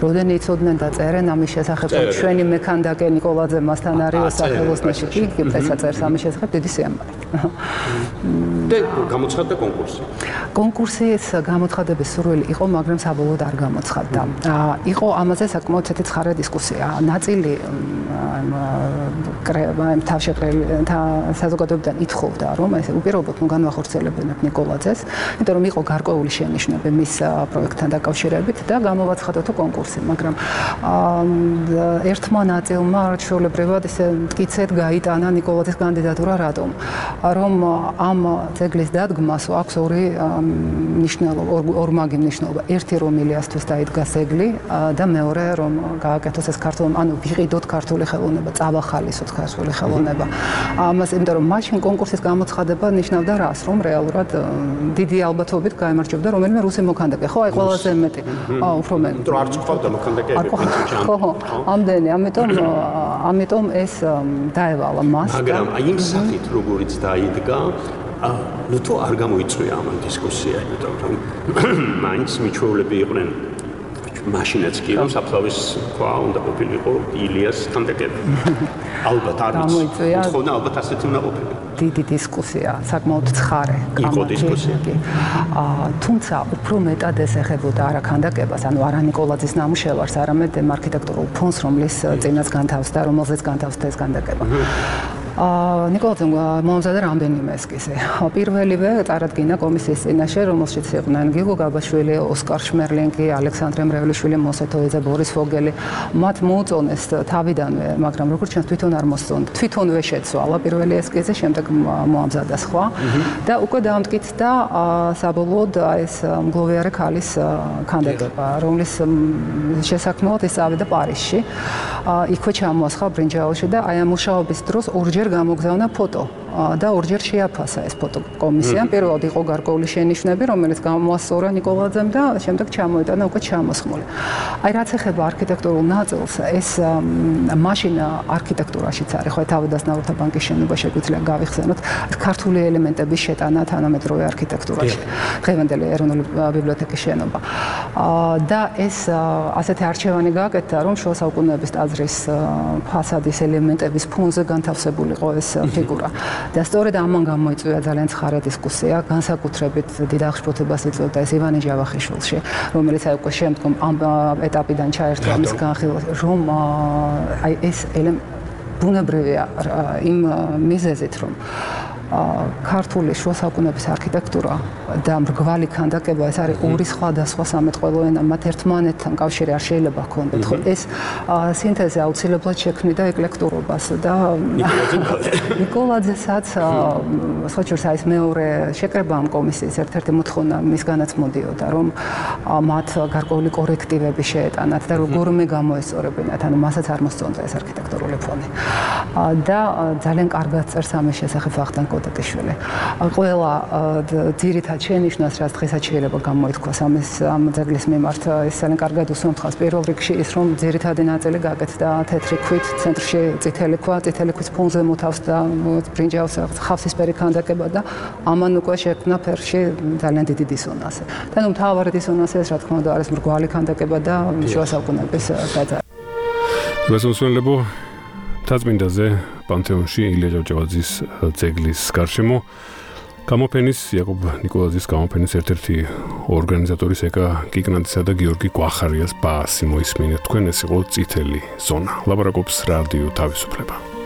როდენი იცოდნენ და წერენ ამის შესახებ ჩვენი მექანდაკე ნიკოლაძე მასთან არის სახელოსნოში კი წესაც ამის შესახებ დიდი სიამოვნებით და გამოცხადდა კონკურსის გამოცხადების სურვილი იყო მაგრამ საბოლოოდ არ გამოცხადდა იყო ამაზე საკმაოდ ცხარე დისკუსია ნაწილი თავშეკრელი საზოგადოებიდან ითხოვდა რომ ეს უპირობოდ განვახორციელებინათ ნიკოლაძეს იმიტომ რომ იყო გარკვეული შენიშვნები მის პროექტთან დაკავშირებით და გამოვაცხადოთ კონკურსი მაგრამ ერთმა ნაწილმა ჩვეულებრივად ესე მტკიცედ გაიტანა ნიკოლაძის კანდიდატურა რატომ რომ ამ ძეგლის დადგმას აქვს ორი მნიშვნელობა ორმაგი მნიშვნელობა ერთი რომ ილიასთვის დაიდგა ძეგლი და მეორე რომ გააკეთოს ეს ქართული ანუ ვიყიდოთ ქართული ხელოვნება წავახალისოთ ქართული ხელოვნება ამას იმიტომ რომ მაშინ კონკურსის გამოცხადება ნიშნავდა რას რომ რეალურად დიდი ალბათობით გაემარჯვებდა რომელიმე რუსი მოქანდაკე ხო აი ყველაზე მეტი უფრო მეტი იმიტომ რომ არც ყავდა მოქანდაკეები ხო ამდენი ამიტომ ეს დაევალა მას მაგრამ აი იმ სახით როგორიც დაიდგა ну то არ გამოიწვია ამ დისკუსია იმიტომ რომ მაინც მიჩვეულები იყვნენ მაშინაც კი რომ საფლავის თქვა უნდა ყოფილიყო ილიას ქანდაკები ალბათ არ ვიცი თქონა ალბათ ასეთი უნდა ყოფილიყო დიდი დისკუსია საკმაოდ ცხარე იყო დისკუსია თუმცა უფრო მეტად ეს ეხებოდა არა ქანდაკებას ანუ არა ნიკოლაძის ნამუშევარს არამედ არქიტექტურულ ფონს რომლის წინაც განთავსდა რომელზეც განთავსდა ეს ქანდაკება ნიკოლაძემ მომზადა რამდენიმე ესკიზი. პირველივე წარადგინა კომისიის წინაშე, რომელშიც იყვნენ გიგო გაბაშვილი, ოსკარ შმერლინგი, ალექსანდრე მრევლიშვილი, მოსეთოიძე, ბორის ფოგელი. მათ მოუწონეს თავიდანვე, მაგრამ როგორც ჩანს თვითონ არ მოსწონთ. თვითონვე შეცვალა პირველი ესკიზი, შემდეგ მოამზადა სხვა და უკვე დაამტკიცდა საბოლოოდ ეს მგლოვიარე ქალის ქანდაკება, რომლის შესაქმნელად ის წავიდა პარიზში. იქვე ჩამოასხა ბრინჯაოში და აი ამ მუშაობის დროს ორჯერ გამოგზავნა ფოტო და ორჯერ შეაფასა ეს ფოტო კომისიამ. პირველად იყო გარკვეული შენიშვნები, რომელიც გამოასწორა ნიკოლაძემ და შემდეგ ჩამოიტანა უკვე ჩამოსხმული. აი რაც ეხება არქიტექტურულ ნაწილს, ეს მაშინ არქიტექტურაშიც არის, ხო თავადაზნაურთა ბანკის შენობა შეგვიძლია გავიხსენოთ, ქართული ელემენტების შეტანა თანამედროვე არქიტექტურაში. დღევანდელი ეროვნული ბიბლიოთეკის შენობა. და ეს ასეთი არჩევანი გააკეთა, რომ შუა საუკუნეების ტაძრის ფასადის ელემენტების ფონზე განთავსებულიყო ეს ფიგურა. და სწორედ ამან გამოიწვია ძალიან ცხარე დისკუსია, განსაკუთრებით დიდ აღშფოთებას იწვევდა ეს ივანე ჯავახიშვილში, რომელიც აი უკვე შემდგომ ამ ეტაპიდან ჩაერთვა მის განხილვას, რომ აი ეს ბუნებრივია იმ მიზეზით, რომ ქართული შუა საუკუნეების არქიტექტურა და მრგვალი ქანდაკება ეს არის ორი სხვადასხვა სამეთყველო ენა, მათ ერთმანეთთან კავშირი არ შეიძლება ჰქონდეთ. ხო, ეს სინთეზი აუცილებლად შექმნიდა ეკლექტურობას და ნიკოლაძესაც სხვაჩვენს ეს მეორე შეკრება ამ კომისიის ერთ-ერთი მოთხოვნა მისგანაც მოდიოდა, რომ მათ გარკვეული კორექტივები შეეტანათ და როგორმე გამოესწორებინათ, ანუ მასაც არ მოსწონდა ეს არქიტექტურული ფონი. და ძალიან კარგად წერს ამის შესახებ ვახტანგ კოტეტიშვილი. ყველა ძირითად შენიშვნას, რაც დღესაც შეიძლება გამოითქვას ამ ძეგლის მიმართ, ის ძალიან კარგად უსამართლებს. პირველ რიგში ის, რომ ძირითადი ნაწილი გაკეთდა თეთრი ქვით, ცენტრში წითელი ქვა, წითელი ქვის ფონზე მოთავს და ბრინჯაოს ხავსისფერი ქანდაკება და ამან უკვე შექმნა ფერში ძალიან დიდი დისონანსი. და ნუ მთავარი დისონანსი ეს, რა თქმა უნდა, არის მრგვალი ქანდაკება და შუა საუკუნეების გაძარცვა. მოსულელებო თაწმინდაზე პანთეონში ილია ჭავჭავაძის ძეგლის გარშემო გამოფენის იაკობ ნიკოლაძის გამოფენის ერთ-ერთი ორგანიზატორის ეკა კიკნაძისა და გიორგი გვახარიას ბაასი მოისმინეთ თქვენ ეს იყო წითელი ზონა ლაპარაკობს რადიო თავისუფლება